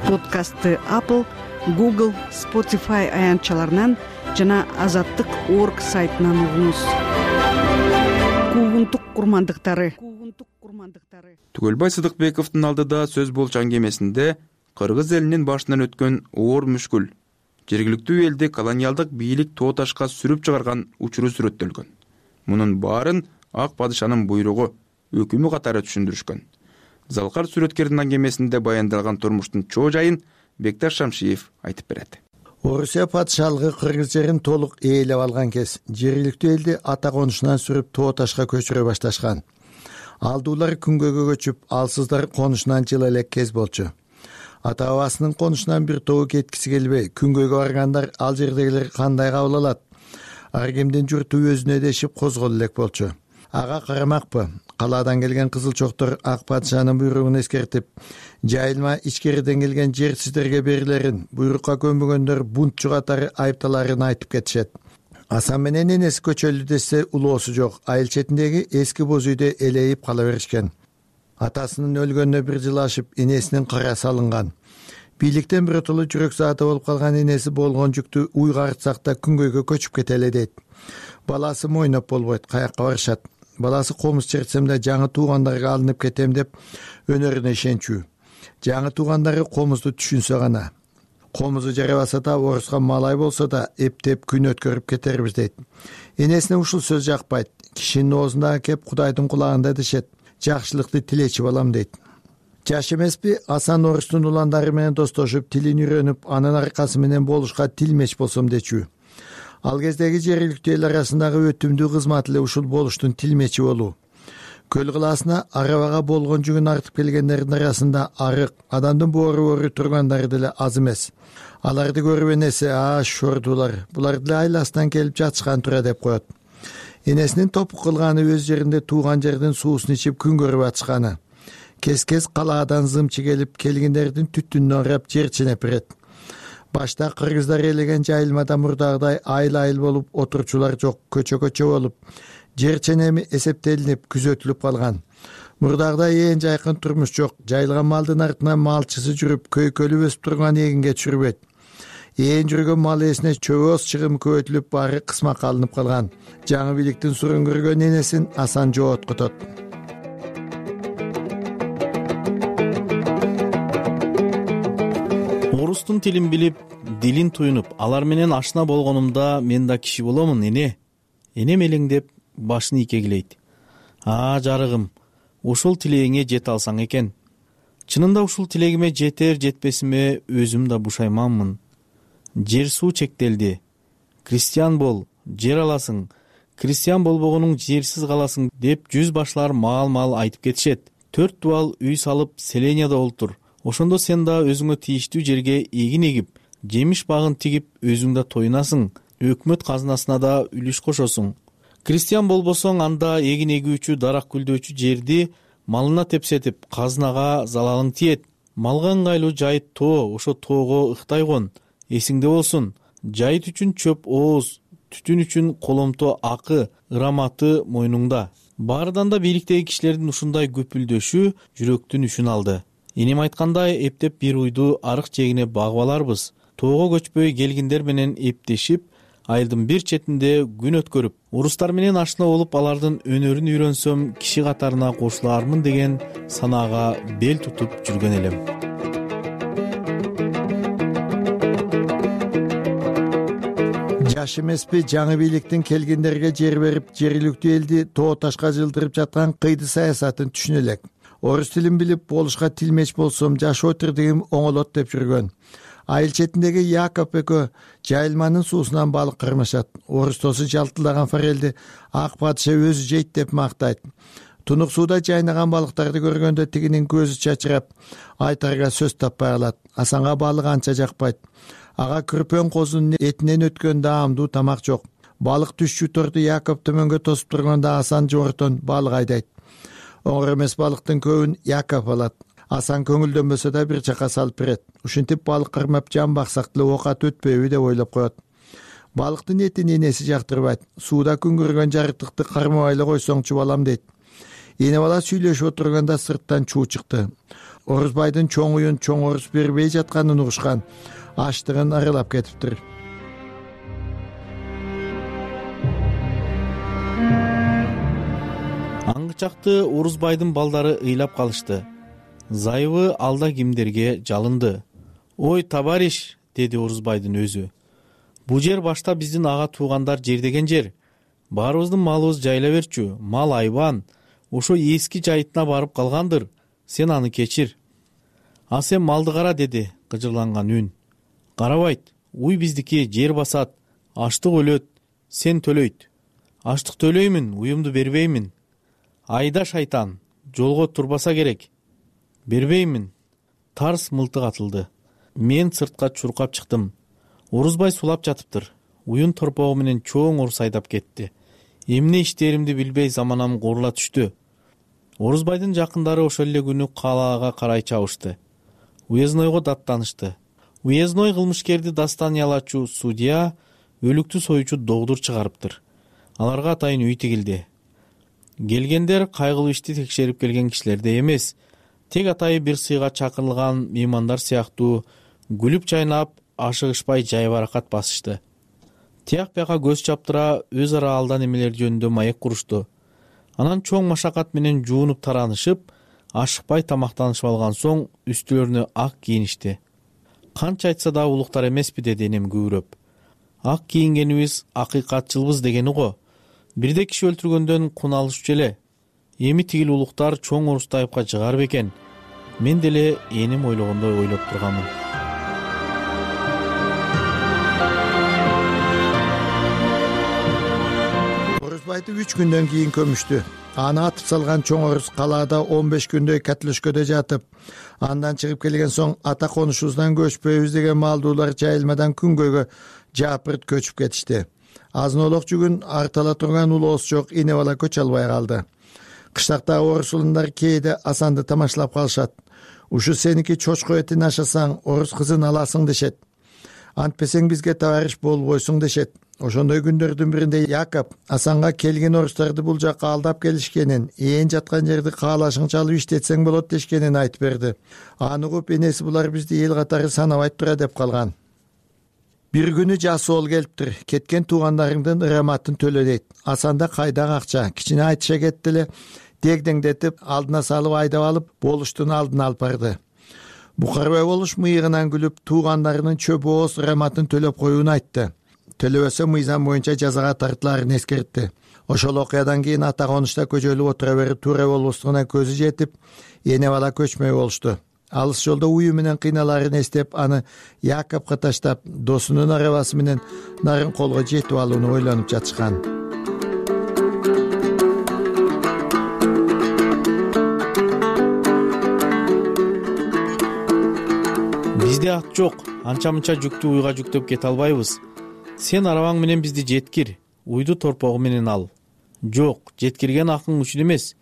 Подкастты Apple, Google, Spotify аянтчаларынан жана azattik.org сайтынан угуңуз. Куугунтук курмандыктары. Түгөлбай Сыдыкбековдун алдыда сөз болчу аңгемесинде кыргыз элинин башынан өткөн оор мүшкүл, жергиликтүү элди колониалдык бийлик тооташка сүрүп чыгарган учуру сүрөттөлгөн. Мунун баарын ак падышанын буйругу, өкүмү катары түшүндүрүшкөн. Залкар сүрөткердин аңгемесинде баяндалган турмуштун чоо жайын Бекташ Шамшиев айтып берет. Орусия падышалыгы кыргыз жерин толук ээлеп алган кез жергиликтүү элди ата конушунан сүрүп тооташка көчүрө башташкан. Алдуулар күнгөйгө көчүп, алсыздар конушунан жыла элек кез болчу. Ата бабасынын конушунан бир тобу кеткиси келбей, күнгөйгө баргандар ал жердегилер кандай кабыл алат? Ар кимдин журту өзүнө дешип козголо элек болчу. Ага карамакпы? Калаадан келген кызылчоктор ак падышанын буйругун эскертип, жайылма ичкериден келген жер сиздерге берилерин, буйрукка көнбөгөндөр бунтчу катары айыпталарын айтып кетишет. Асан менен энеси көчөлдү десе улоосу жок, айыл четиндеги эски боз үйдө элейип кала беришкен. Атасынын өлгөнүнө 1 жыл ашып, энесинин карасы алынган. Бийликтен биротоло жүрөк зааты болуп калган энеси болгон жүктү уйгартсак да күнгөйгө көчүп кетели дейт. Баласы мойноп болбойт, каякка барышат. Баласы комуз чертсем да жаңы туугандарга алынып кетем деп өнөрүнө ишенчүү. Жаңы туугандары комузду түшүнсө гана. Комузу жарабаса да, оруска малай болсо да эптеп күн өткөрүп кетербиз дейт. Энесине ушул сөз жакпайт. Кишинин оозундагы кеп Кудайдын кулагында дешет. Жакшылыкты тилечи балам дейт. Жаш эмеспи? Асан орустун уландары менен достошуп, тилин үйрөнүп, анын аркасы менен болушка тилмеч болсом дечүү. Ал кездеги жергиликтүү эл арасындагы өтүмдүү кызмат эле ушул болуштун тилмечи болуу. Көл кылаасына арабага болгон жүгүн артып келгендердин арасында арык, адамдын боору тургандары деле аз эмес. Аларды көрүп энеси, шордулар, булар деле айласынан келип жатышкан тура деп коет. Энесинин топук кылганы өз жеринде тууган жердин суусун ичип күн көрүп атышканы. Кез-кез калаадан зымчы келип, келгендердин түтүнүнө карап жер ченеп берет. Башта кыргыздар элеген жайылмада мурдагыдай айыл-айыл болуп, отурчулар жок, көчө-көчө болуп, жер ченеми эсептелинип, күзөтүлүп калган. Мурдагыдай ээн жайкын турмуш жок. Жайылган малдын артынан малчысы жүрүп, көйкөлүп өсүп турган эгинге түшүрбөйт. Ээн жүргөн мал ээсине чөбөс чыгым көбөйтүлүп, баары кысмакка алынып калган. Жаңы бийликтин сурун көргөн энесин Асан жооткутот. Орустун тилин билип, дилин туюнуп, алар менен ашына болгонумда мен да киши боломун, эне. Энем элеңдеп башын ийкегилейт. Жарыгым, ушул тилегиңе жете алсаң экен. Чынында ушул тилегиме жетер жетпесиме өзүм да бушайманмын. Жер суу чектелди. крестьян бол, жер аласың, крестьян болбогонуң жерсиз каласың деп жүз башлар маал айтып кетишет. 4 дубал үй салып селенияда олтур. Ошондо сен да өзүңө тийиштүү жерге эгин эгип, жемиш багын тигип өзүң да тоюнасың, өкмөт казынасына да үлүш кошосуң. Крестьян болбосоң, анда эгин эгүүчү, дарак гүлдөөчү жерди малына тепсетип, казынага залалың тиет. Малга ыңгайлуу жайыт тоо, ошо тоого ыктай кон. Эсиңде болсун, жайыт үчүн чөп ооз, түтүн үчүн коломто акы, ыраматы мойнуңда. Баарыдан да бийликтеги кишилердин ушундай көпүлдөшү жүрөктүн үшүн алды. Энем айткандай, эптеп бир уйду арык жегине багып аларбыз. Тоого көчпөй келгиндер менен эптешип, айылдын бир четинде күн өткөрүп, орустар менен ашына болуп, алардын өнөрүн үйрөнсөм, киши катарына кошулаармын деген санаага бел тутуп жүргөн элем. Жаш эмеспи жаңы бийликтин келгендерге жер берип, жергиликтүү элди тоо ташка жылдырып жаткан кыйды саясатын түшүнө элек. Орус тилин билип, болушка тилмеч болсом жашоо тирдигим оңолот деп жүргөн. Айыл четиндеги Яков экөө жайылманын суусунан балык кармашат. Орустосу жалтылдаган форелди ак падыша өзү жейт деп мактайт. Тунук сууда жайнаган балыктарды көргөндө тигинин көзү чачырап, айтарга сөз таппай калат. Асанга балык анча жакпайт. Ага күрпөн козунун этинен өткөн даамдуу тамак жок. Балык түшчү торду Яков төмөнгө тосуп турганда Асан жортон балык айдайт. Оңор эмес балыктын көбүн Яков алат. Асан көңүлдөнбөсө да бир жака салып берет. Ушинтип балык кармап жан баксак деле оокат өтпөйбү деп ойлоп коет. Балыктын этин энеси жактырбайт. Сууда күн көргөн жарыктыкты кармабай эле койсоңчу балам дейт. Эне бала сүйлөшүп отурганда сырттан чуу чыкты. Орусбайдын чоң уюн чоң орус бербей жатканын угушкан. Аштыгын аралап кетиптир. Аңгычакты Орусбайдын балдары ыйлап калышты. Зайыбы алда кимдерге жалынды. Ой, товарищ, деди Орусбайдын өзү. Бу жер башта биздин ага туугандар жердеген жер. Баарыбыздын малыбыз жайла берчү, мал айбан. Ошо эски жайытына барып калгандыр. Сен аны кечир. А сен малды кара, деди кыжырланган үн. Карабайт, уй биздики, жер басат, аштык өлөт, сен төлөйт. Аштык төлөймүн, уюмду бербеймин. Айда шайтан, жолго турбаса керек. Бербеймин. Тарс мылтык атылды. Мен сыртка чуркап чыктым. Орусбай сулап жатыптыр. Уюн торпогу менен чоң орус айдап кетти. Эмне иштеримди билбей заманам куурула түштү. Орусбайдын жакындары ошол эле күнү калаага карай чабышты. Уезднойго даттанышты. Уездной кылмышкерди дастаниялачу судья өлүктү союучу догдур чыгарыптыр. Аларга атайын үй тигилди. Келгендер кайгылуу ишти текшерип келген кишилерде эмес, тек атайы бир сыйга чакырылган меймандар сыяктуу күлүп чайнап, ашыгышпай жай баракат басышты. Тияк бияка көз чаптыра өз ара алдан эмелер жөнүндө маек курушту. Анан чоң машакат менен жуунуп таранышып, ашыкпай тамактанышып алган соң үстүлөрүнө ак кийиништи. Канча айтса да улуктар эмеспи, деди энем күбүрөп. Ак кийингенибиз акыйкатчылбыз дегени го. Бирде киши өлтүргөндөн кун алышчу эле. Эми тигил улуктар чоң орусты айыпка жыгар бекен. Мен деле энем ойлогондой ойлоп турганмын. Орусбайды 3 күндөн кийин көмүштү. Аны атып салган чоң орус калаада 15 күндөй катлөшкөдө жатып, андан чыгып келген соң ата конушубуздан көчпөйбүз деген малдуулар жайылмадан күнгөйгө жапырт көчүп кетишти. Азын-олок жүгүн артала турган улоос жок эне бала көчө албай калды. Кыштактагы орус улундар кээде Асанды тамашалап калышат. Ушу сеники чочко этин ашасаң, орус кызын аласың дешет. Антпесең бизге товарищ болбойсуң дешет. Ошондой күндөрдүн биринде Яков Асанга келген орустарды бул жакка алдап келишкенин, ээн жаткан жерди каалашыңча алып иштетсең болот дешкенин айтып берди. Аны угуп энеси булар бизди эл катары санабайт тура деп калган. Бир күнү жасоол келиптир. Кеткен туугандарыңдын ыраматын төлө дейт. Асанда кайдагы акча? Кичине айтыша кетти эле. Дегдеңдетип, алдына салып айдап алып, болуштун алдына алып барды. Букарбай болуш мыйыгынан күлүп, туугандарынын чөп ооз ыраматын төлөп коюун айтты. Төлөбөсө мыйзам боюнча жазага тартылаарын эскертти. Ошол окуядан кийин ата конушта көжөлүп отура берип туура болбостугуна көзү жетип, эне бала көчмөй болушту. алыс жолдо уюу менен кыйналаарын эстеп аны Якопко таштап досунун арабасы менен Нарынколго жетип алууну ойлонуп жатышкан. Бизде ат жок, анча-мынча жүктү уйга жүктөп кете албайбыз. Сен арабаң менен бизди жеткир, уйду торпогу менен ал. Жок, жеткирген акың үчүн эмес.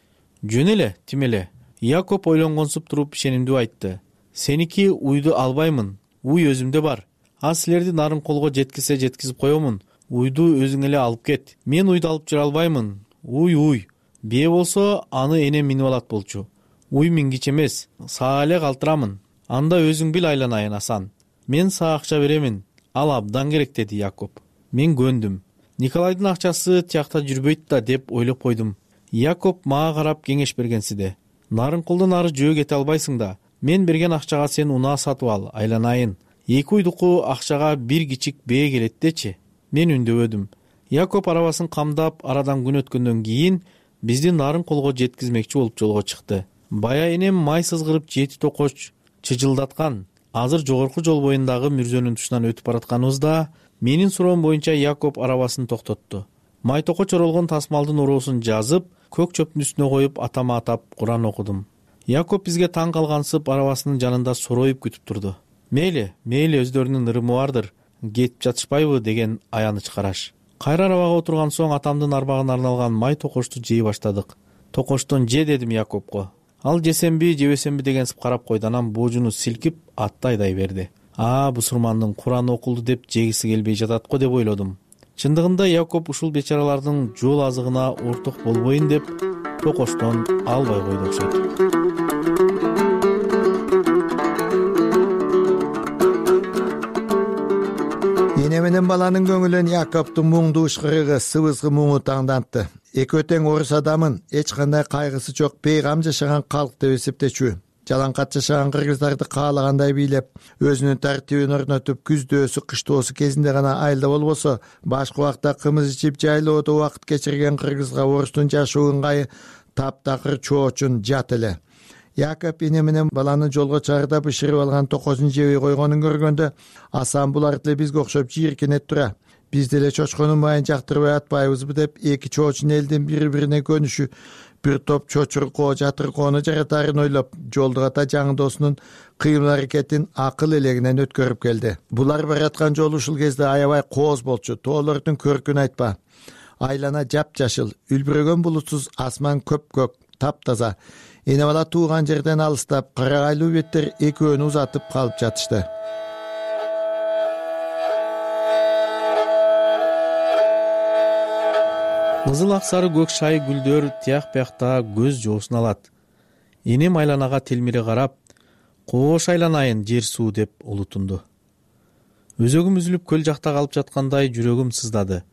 Жөн эле, тим эле. Якоп ойлонгонсуп туруп ишенимдүү айтты. Сеники уйду албаймын, уй өзүмдө бар. А силерди Нарынколго жеткизе жеткизип коемун. Уйду өзүң эле алып кет. Мен уйду алып жүрө албаймын. Уй. Бие болсо аны энем минип алат болчу. Уй мингич эмес, сага эле калтырамын. Анда өзүң бил айланайын Асан. Мен сага акча беремин. Ал абдан керек, деди Якоп. Мен көндүм. Николайдын акчасы тиякта жүрбөйт да деп ойлоп койдум. Якоп мага карап кеңеш бергенсиде. Нарынколдон ары жөө кете албайсың да. Мен берген акчага сен унаа сатып ал, айланайын. 2 уйдуку акчага бир кичик бээ келет дечи. Мен үндөбөдүм. Якоп арабасын камдап, арадан күн өткөндөн кийин бизди Нарынколго жеткизмекчи болуп жолго чыкты. Бая энем май сызгырып 7 токоч чыжылдаткан. Азыр жогорку жол боюндагы мүрзөнүн тушунан өтүп баратканыбызда менин суроом боюнча Якоп арабасын токтотту. Май токоч оролгон тасмалдын уроосун жазып, көк чөптүн үстүнө коюп атама атап Куран окудум. Якоп бизге таң калгансып арабасынын жанында сороюп күтүп турду. Мейли, өздөрүнүн ырымы бардыр, кетип жатышпайбы деген аяныч караш. Кайра арабага отурган соң атамдын арбагына арналган май токочту жей баштадык. Токочтон же дедим Якопко. Ал жесемби, жебесемби дегенсип карап койду, анан боожуну силкип атты айдай берди. Бусурмандын Кураны окулду деп жегиси келбей жатат го деп ойлодум. Чындыгында Якоп ушул бечаралардын жол азыгына орток болбойн деп токочтон албай койду окшойт. Эне менен баланын көңүлүн Якоптун муңдуу ышкырыгы, сыбызгы муңу таңдантты. Эки тең орус адамын эч кандай кайгысы жок пейгам жашаган калк деп эсептечү. Жалаңкат жашаган кыргыздарды каалагандай бийлеп, өзүнүн тартибин орнотуп, күздөөсү, кыштоосу кезинде гана айылда болбосо, башка убакта кымыз ичип жайлоодо убакыт кечирген кыргызга орустун жашоо ыңгайы таптакыр чоочун жат эле. Якоп эне менен баланы жолго чыгарда бышырып алган токозун жебей койгонун көргөндө, Асан булар деле бизге окшоп жийиркенет тура. Биз деле чочконун майын жактырбай атпайбызбы деп эки чоочун элдин бири-бирине көнүшү, бир топ чочуркоо, жатыркоону жаратаарын ойлоп, жолдугата жаңы досунун кыймыл аракетин акыл элегинен өткөрүп келди. Булар бараткан жол ушул кезде аябай кооз болчу. Тоолордун көркүн айтпа. Айлана жапжашыл, үлбүрөгөн булутсуз асман көпкөк, таптаза. Эне бала тууган жерден алыстап, карагайлуу беттер экөөнү узатып калып жатышты. Кызыл ак сары көк шай гүлдөр тияк биякта көз жоосун алат. Энем айланага телмире карап, "Коош айланайын жер суу" деп улутунду. Өзөгүм үзүлүп көл жакта калып жаткандай жүрөгүм сыздады.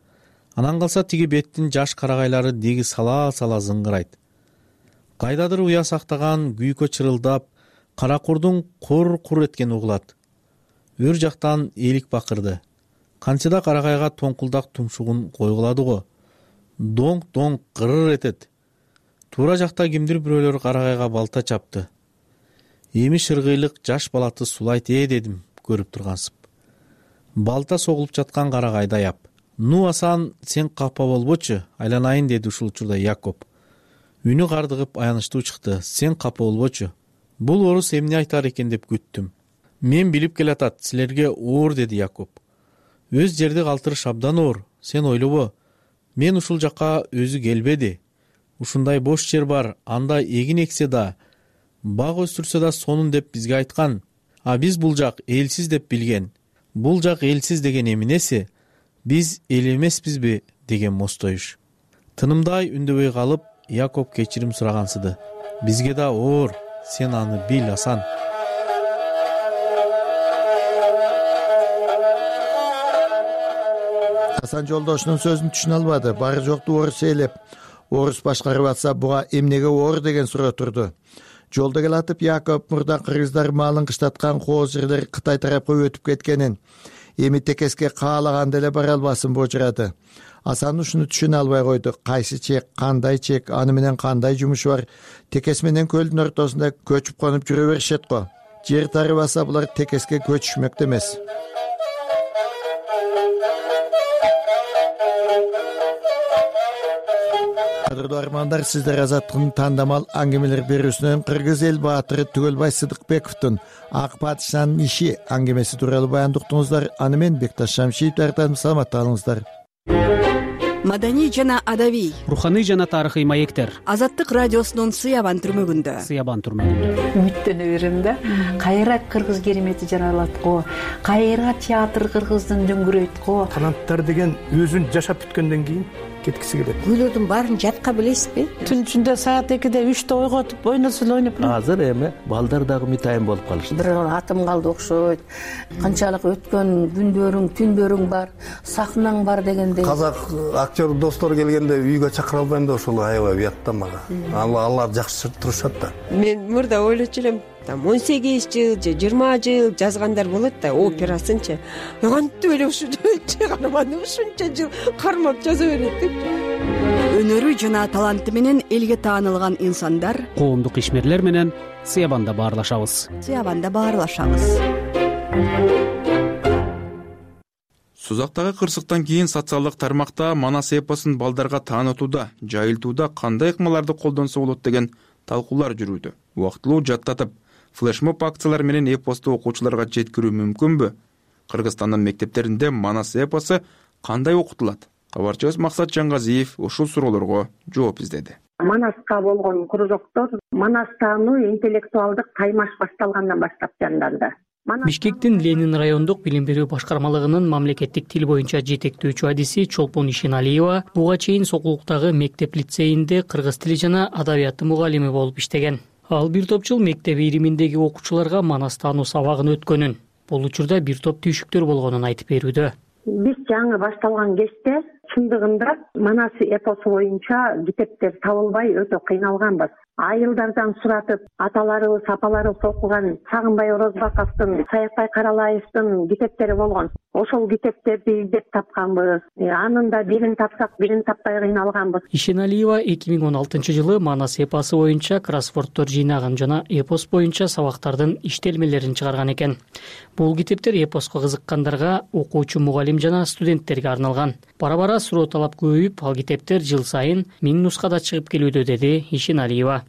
Анан калса тиги беттин жаш карагайлары деги сала-сала зыңгырайт. Кайдадыр уя сактаган күйкө чырылдап, кара курдун кур-кур эткени угулат. Өр жактан элик бакырды. Канчада карагайга тоңкулдак тумшугун койгулады го. Доң-доң кырыр этет. Туура жакта кимдир бирөөлөр карагайга балта чапты. Эми шыргыйлык жаш балаты сулайт дедим көрүп тургансып. Балта согулуп жаткан карагайды аяп. "Ну Асан, сен капа болбочу, айланайын" деди ушул учурда Якоп. Үнү кардыгып аянычтуу чыкты. "Сен капа болбочу. Бул орус эмне айтар экен деп күттүм. Мен билип келатат, силерге оор" деди Якоп. "Өз жерди калтырыш абдан оор, сен ойлобо. Мен ушул жакка өзү келбеди. Ушундай бош жер бар, анда эгин эксе да, бак өстүрсө да сонун деп бизге айткан. А биз бул жак элсиз деп билген. Бул жак элсиз деген эмнеси? Биз эл эмеспизби?" деген мостоюш. Тынымдай үндөбөй калып, Якоп кечирим сурагансыды. "Бизге да оор, сен аны бил, Асан." Асан жолдошунун сөзүн түшүнө албады. Бары жокту орус ээлеп, орус башкарып атса буга эмнеге оор деген суроо турду. Жолдо келатып Якоп мурда кыргыздар малын кыштаткан кооз жерлер Кытай тарапка өтүп кеткенин, эми текеске каалаган деле бара албасын божурады. Асан ушуну түшүнө албай койду. Кайсы чек, кандай чек, аны менен кандай жумушу бар? Текес менен көлдүн ортосунда көчүп конуп жүрө беришет го. Жер тарыбаса булар текеске көчүшмөктө эмес. Кадырлуу армандар, сиздер Азаттыктын тандамал аңгемелер берүүсүнөн Кыргыз эл баатыры Түгөлбай Сыдыкбековдун Ак падышанын иши аңгемеси тууралуу баяндуктуңуздар. Аны мен Бекташ Шамшиев даярдадым. Саламатта калыңыздар. Маданий жана адабий, руханий жана тарыхый маектер Азаттык радиосунун Сыябан түрмөгүндө. Үмүттөнө берем да. Кайра кыргыз керемети жаралат го, кайра театр кыргыздын дөңгүрөйт го. Канаттар деген өзүн жашап бүткөндөн кийин кеткиси келет. Күйлөрдүн баарын жатка билесизби? Түн ичинде саат 2-де 3-те ойготуп ойносо эле ойноп. Азыр эми балдар дагы мытайын болуп калышты. Бир атым калды окшойт. Канчалык өткөн күндөрүң, түндөрүң бар, сахнаң бар дегендей. Казак актер достор келгенде үйгө чакыра албайм да ошол аябай уят да мага. Алар жакшы турушат да. Мен мурда ойлочу элем, 18 жыл же 20 жыл жазгандар болот да, операсынчы. Кантип эле ушу чыгарманы ушунча жыл кармап жаза берет деп. Өнөрү жана таланты менен элге таанылган инсандар коомдук ишмерлер менен Сыябанда баарлашабыз. Сузактагы кырсыктан кийин социалдык тармакта Манас эпосун балдарга таанытууда, жайылтууда кандай ыкмаларды колдонсо болот деген талкуулар жүрүүдө. Убактылуу жаттатып, флешмоб акциялар менен эпосту окуучуларга жеткирүү мүмкүнбү? Кыргызстандын мектептеринде Манас эпосу кандай окутулат? Кабарчыбыз Максат Жангазиев ушул суроолорго жооп издеди. Манаска болгон кружоктор Манас таануу интеллектуалдык таймаш башталгандан баштап жанданды. Бишкектин Ленин райондук билим берүү башкармалыгынын мамлекеттик тил боюнча жетектөөчү адиси Чолпон Ишеналиева буга чейин Сокулуктагы мектеп лицейинде кыргыз тили жана адабияты мугалими болуп иштеген. Ал бир топ жыл мектеп ириминдеги окуучуларга Манас таануу сабагын өткөнүн, бул учурда бир топ түйшүктөр болгонун айтып берүүдө. Биз жаңы башталган кезде чындыгында Манас эпосу боюнча китептер табылбай өтө кыйналганбыз. Айылдардан суратып, аталарыбыз, апаларыбыз окуган Сагынбай Орозбаковдун, Саякбай Каралаевдин китептери болгон. Ошол китептерди издеп тапканбыз. Анында бирин тапсак, бирин таппай кыйналганбыз. Ишеналиева 2016-жылы Манас эпосу боюнча кроссвордтор жыйнаган жана эпос боюнча сабактардын иштелмелерин чыгарган экен. Бул китептер эпоско кызыккандарга, окуучу мугалим жана студенттерге арналган. Бара-бара суроо талап көбөйүп, ал китептер жыл сайын 1000 нускада чыгып келүүдө, деди Ишеналиева.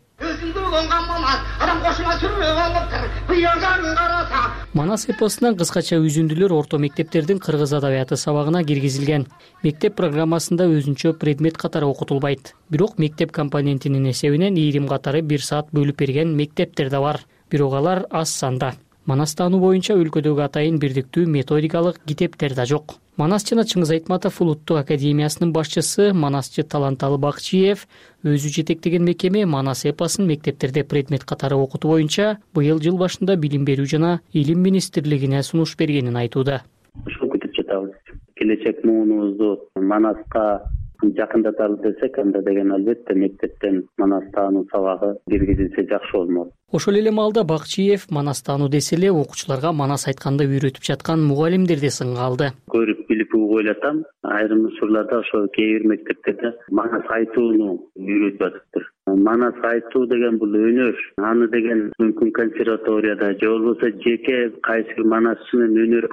Манас эпосунан кыскача үзүндүлөр орто мектептердин кыргыз адабияты сабагына киргизилген. Мектеп программасында өзүнчө предмет катары окутулбайт. Бирок мектеп компонентинин эсебинен ийрим катары 1 саат бөлүп берген мектептер да бар. Бирок алар аз санда. Манас таануу боюнча өлкөдөгү атайын бирдиктүү методикалык китептер да жок. Манас жана Чыңгыз Айтматов улуттук академиясынын башчысы Манасчы Таланталы Бакчиев өзү жетектеген мекеме Манас эпосун мектептерде предмет катары окутуу боюнча быйыл жыл башында билим берүү жана илим министрлигине сунуш бергенин айтууда. Ушул күтүп жатабыз. Келечек муунубузду Манаска жакындаталы десек, анда деген албетте мектептен Манас таануу сабагы киргизилсе жакшы болмок. Ошол эле маалда Бакчиев Манас таануу десе эле окуучуларга Манас айтканды үйрөтүп жаткан мугалимдерди сынга алды. Көрүп билип ойлотам, айрым учурларда ошо кээ бир мектептерде Манас айтууну үйрөтүп атыптыр. Манас айтуу деген бул өнөр. Аны деген мүмкүн консерваторияда же болбосо жеке кайсы бир Манасчынын өнөр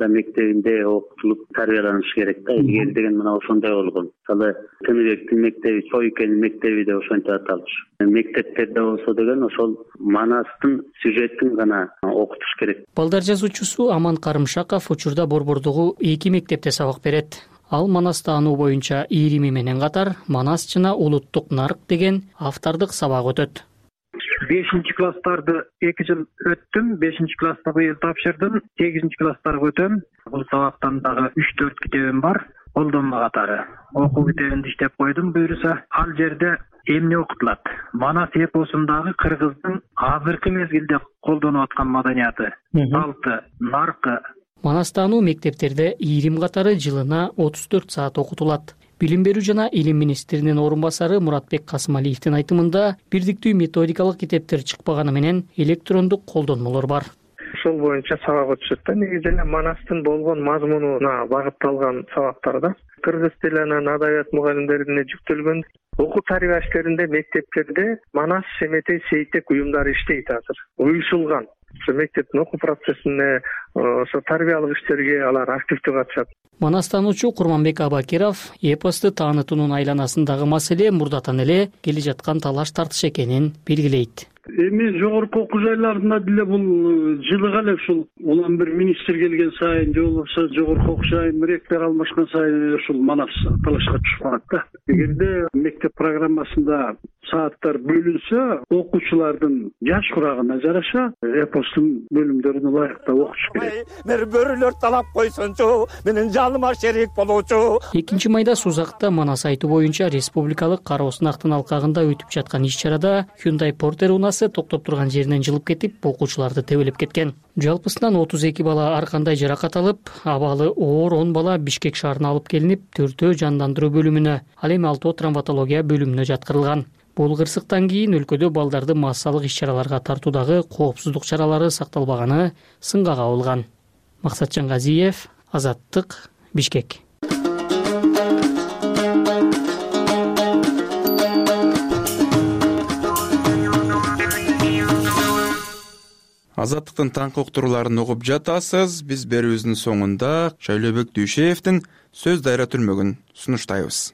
мектебинде окутулуп тарбияланышы керек да. Илгери деген мына ошондой болгон. Мисалы Тыныбектин мектеби, Чойкенин мектеби деп ошончо аталыш. Мектептерде болсо деген ошол Манастын сюжетин гана окутуш керек. Балдар жазуучусу Аман Карымшаков учурда Борбордогу 2 мектепте сабак берет. Ал Манас таануу боюнча ийрими менен катар Манас жана улуттук нарк деген автордук сабак өтөт. 5-класстарды 2 жыл өттүм, 5-класста быйыл тапшырдым, 8-класстарга өтөм. Бул сабактан дагы 3-4 китебим бар, колдонма катары. Окуу китебинди иштеп койдум, буюрса. Ал жерде эмне окутулат? Манас эпосундагы кыргыздын азыркы мезгилде колдонуп аткан маданияты, салты, наркы. Манас таануу мектептерде ийрим катары жылына 34 саат окутулат. Билим берүү жана илим министринин орун басары Муратбек Касымалиевдин айтымында бирдиктүү методикалык китептер чыкпаганы менен электрондук колдонмолор бар. Ошол боюнча сабак өтүшөт да. Негизи эле Манастын болгон мазмунуна багытталган сабактарда кыргыз тили анан адабият мугалимдерине жүктөлгөн. Окуу тарбия иштеринде мектептерде Манас Шеметей Сейтек уюмдары иштейт азыр. Уюшулган. ошо мектептин окуу процессине, ошо тарбиялык иштерге алар активдүү катышат. Манастануучу Курманбек Абакиров эпосту таанытуунун айланасындагы маселе мурдатан эле келе жаткан талаш тартыш экенин белгилейт. Эми жогорку окуу жайларында деле бул жылыга эле ушул улам бир министр келген сайын же болбосо жогорку окуу жайын ректор алмашкан сайын ушул манас талашка түшүп калат да. Эгерде мектеп программасында сааттар бөлүнсө, окуучулардын жаш курагына жараша эпостун бөлүмдөрүн ылайыктуу окутуш керек. Бир бөрүлөр талап койсончу, менин жаныма шерик болуучу. 2-майда Сузакта Манас айтуу боюнча республикалык кароо сынактын алкагында өтүп жаткан иш-чарада Hyundai Porter унасы токтоп турган жеринен жылып кетип, окуучуларды тебелеп кеткен. Жалпысынан 32 бала ар кандай жаракат алып, абалы оор 10 бала Бишкек шаарына алып келинип, 4-өө жандандыруу бөлүмүнө, ал эми 6-өө травматология бөлүмүнө жаткырылган. Бул кырсыктан кийин өлкөдө балдарды массалык иш-чараларга тартуудагы коопсуздук чаралары сакталбаганы сынга кабылган. Максатжан Газиев, Азаттык, Бишкек. Азаттыктын таңкы уктурууларын угуп жатасыз. Биз берүүбүздүн соңунда Шайлообек Дүйшеевдин сөз дайра түрмөгүн сунуштайбыз.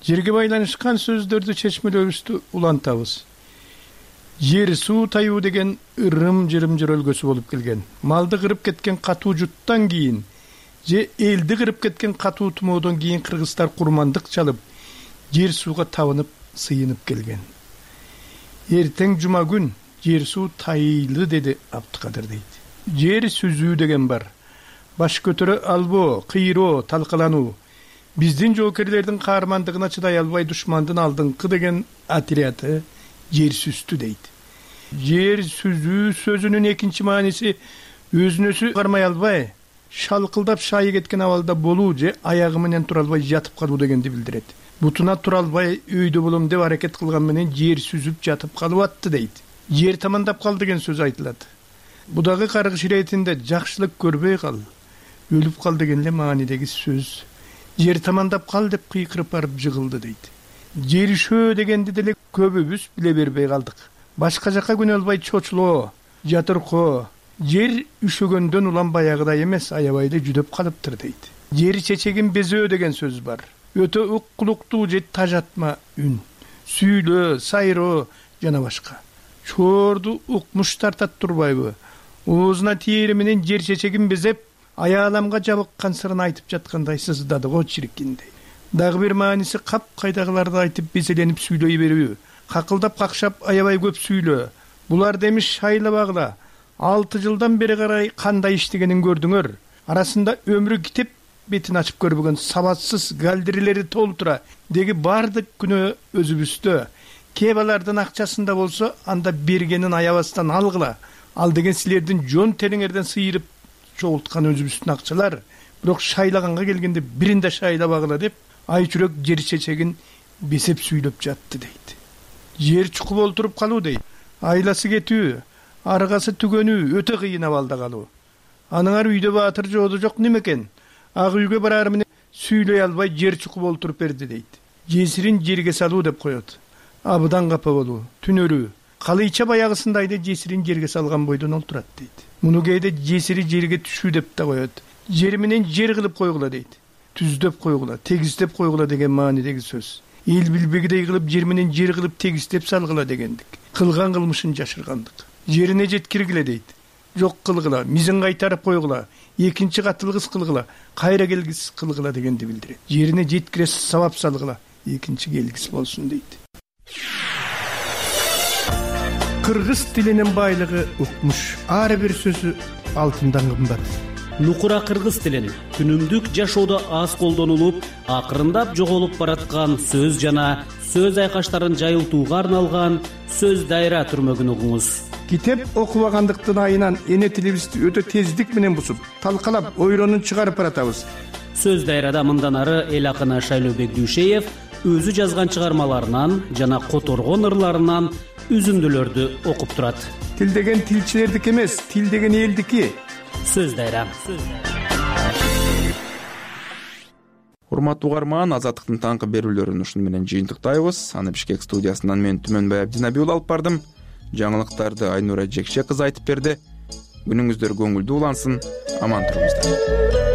Жерге байланышкан сөздөрдү чечмелөөбүздү улантабыз. Жер суу таюу деген ырым-жырым жөрөлгөсү болуп келген. Малды кырып кеткен катуу жуттан кийин же элди кырып кеткен катуу тумоодон кийин кыргыздар курмандык чалып, жер сууга табынып, сыйынып келген. Эртең жума күн жер суу тайылы, деди Абдыкадыр дейт. Жер сүзүү деген бар. Баш көтөрө албоо, кыйроо, талкалануу. Биздин жоокерлердин каармандыгына чыдай албай душмандын алдыңкы деген отряды жер сүздү дейт. Жер сүзүү сөзүнүн экинчи мааниси өзүнөсү кармай албай, шалкылдап шайы кеткен абалда болуу же аягы менен тура албай жатып калуу дегенди билдирет. Бутуна тура албай өйдө болом деп аракет кылган менен жер сүзүп жатып калып атты дейт. Жер тамандап кал деген сөз айтылат. Будагы каргыш иретинде жакшылык көрбөй кал, өлүп кал деген эле маанидеги сөз. Жер тамандап кал деп кыйкырып барып жыгылды дейт. Жеришөө дегенди деле көбүбүз биле бербей калдык. Башка жака күнө албай чочулоо, жатыркоо, жер үшөгөндөн улам баягыдай эмес, аябайда жүдөп калыптыр дейт. Жер чечегин безөө деген сөз бар. Өтө уккулуктуу же тажатма үн, сүйлөө, сайроо жана башка. Чорду укмуш тартат турбайбы? Оозуна тиери менен жер чечегин безеп, аяламга жабыккан сырын айтып жаткандай сыздады го чиркиндей. Дагы бир мааниси кап кайдагыларды айтып безеленип сүйлөй берүү. Какылдап какшап аябай көп сүйлөө. Булар демиш шайлабагыла. 6 жылдан бери карай кандай иштегенин көрдүңөр. Арасында өмүрү китеп бетин ачып көрбөгөн сабатсыз галдирилери толтура деги бардык күнөө өзүбүздө. Кебалардын акчасында болсо, анда бергенин аябастан алгыла. Ал деген силердин жон териңерден сыйырып чогулткан өзүбүздүн акчалар. Бирок шайлаганга келгенде биринде шайлабагыла деп айчүрөк жер чечегин бесеп сүйлөп жатты дейт. Жер чукуп олтуруп калуу дейт. Айласы кетүү, аргасы түгөнүү өтө кыйын абалда калуу. Аныңар үйдө баатыр жооду жок немекен? Ак үйгө барар менен сүйлөй албай жер чукуп олтуруп берди дейт. Жесирин жерге салуу деп коет. Абыдан капа болуу, түнөрүү. Калыйча баягысындайды жесирин жерге салган бойдон олтурат дейт. Муну кээде жесири жерге түшүү деп да коет. Жер менен жер кылып койгула дейт. Түздөп койгула, тегиздеп койгула деген маанидеги сөз. Эл билбегидей кылып жер менен жер кылып тегиздеп салгыла дегендик. Кылган кылмышын жашыргандык. Жерине жеткиргиле дейт. Жок кылгыла, мизин кайтарып койгула, экинчи катылгыс кылгыла, кайра келгис кылгыла дегенди билдирет. Жерине жеткире сабап салгыла, экинчи келгис болсун дейт. Кыргыз тилинин байлыгы укмуш. Ар бир сөзү алтындан кымбат. Нукура кыргыз тилин күнүмдүк жашоодо аз колдонулуп, акырындап жоголуп бараткан сөз жана сөз айкаштарын жайылтууга арналган сөз дайра түрмөгүн угуңуз. Китеп окубагандыктын айынан эне тилибизди өтө тездик менен бусуп, талкалап, ойронун чыгарып баратабыз. Сөз дайрада мындан ары эл акыны Шайлообек Дүйшеев өзү жазган чыгармаларынан жана которгон ырларынан үзүндүлөрдү окуп турат. Тил деген тилчилердики эмес, тил деген элдики. Сөз дайра. Урматтуу угарман, Азаттыктын таңкы берүүлөрүн ушуну менен жыйынтыктайбыз. Аны Бишкек студиясынан мен Түмөнбай Абдинабиул алып бардым. Жаңылыктарды Айнура Жекше кызы айтып берди. күнүңүздөр көңүлдүү улансын, аман туруңуздар.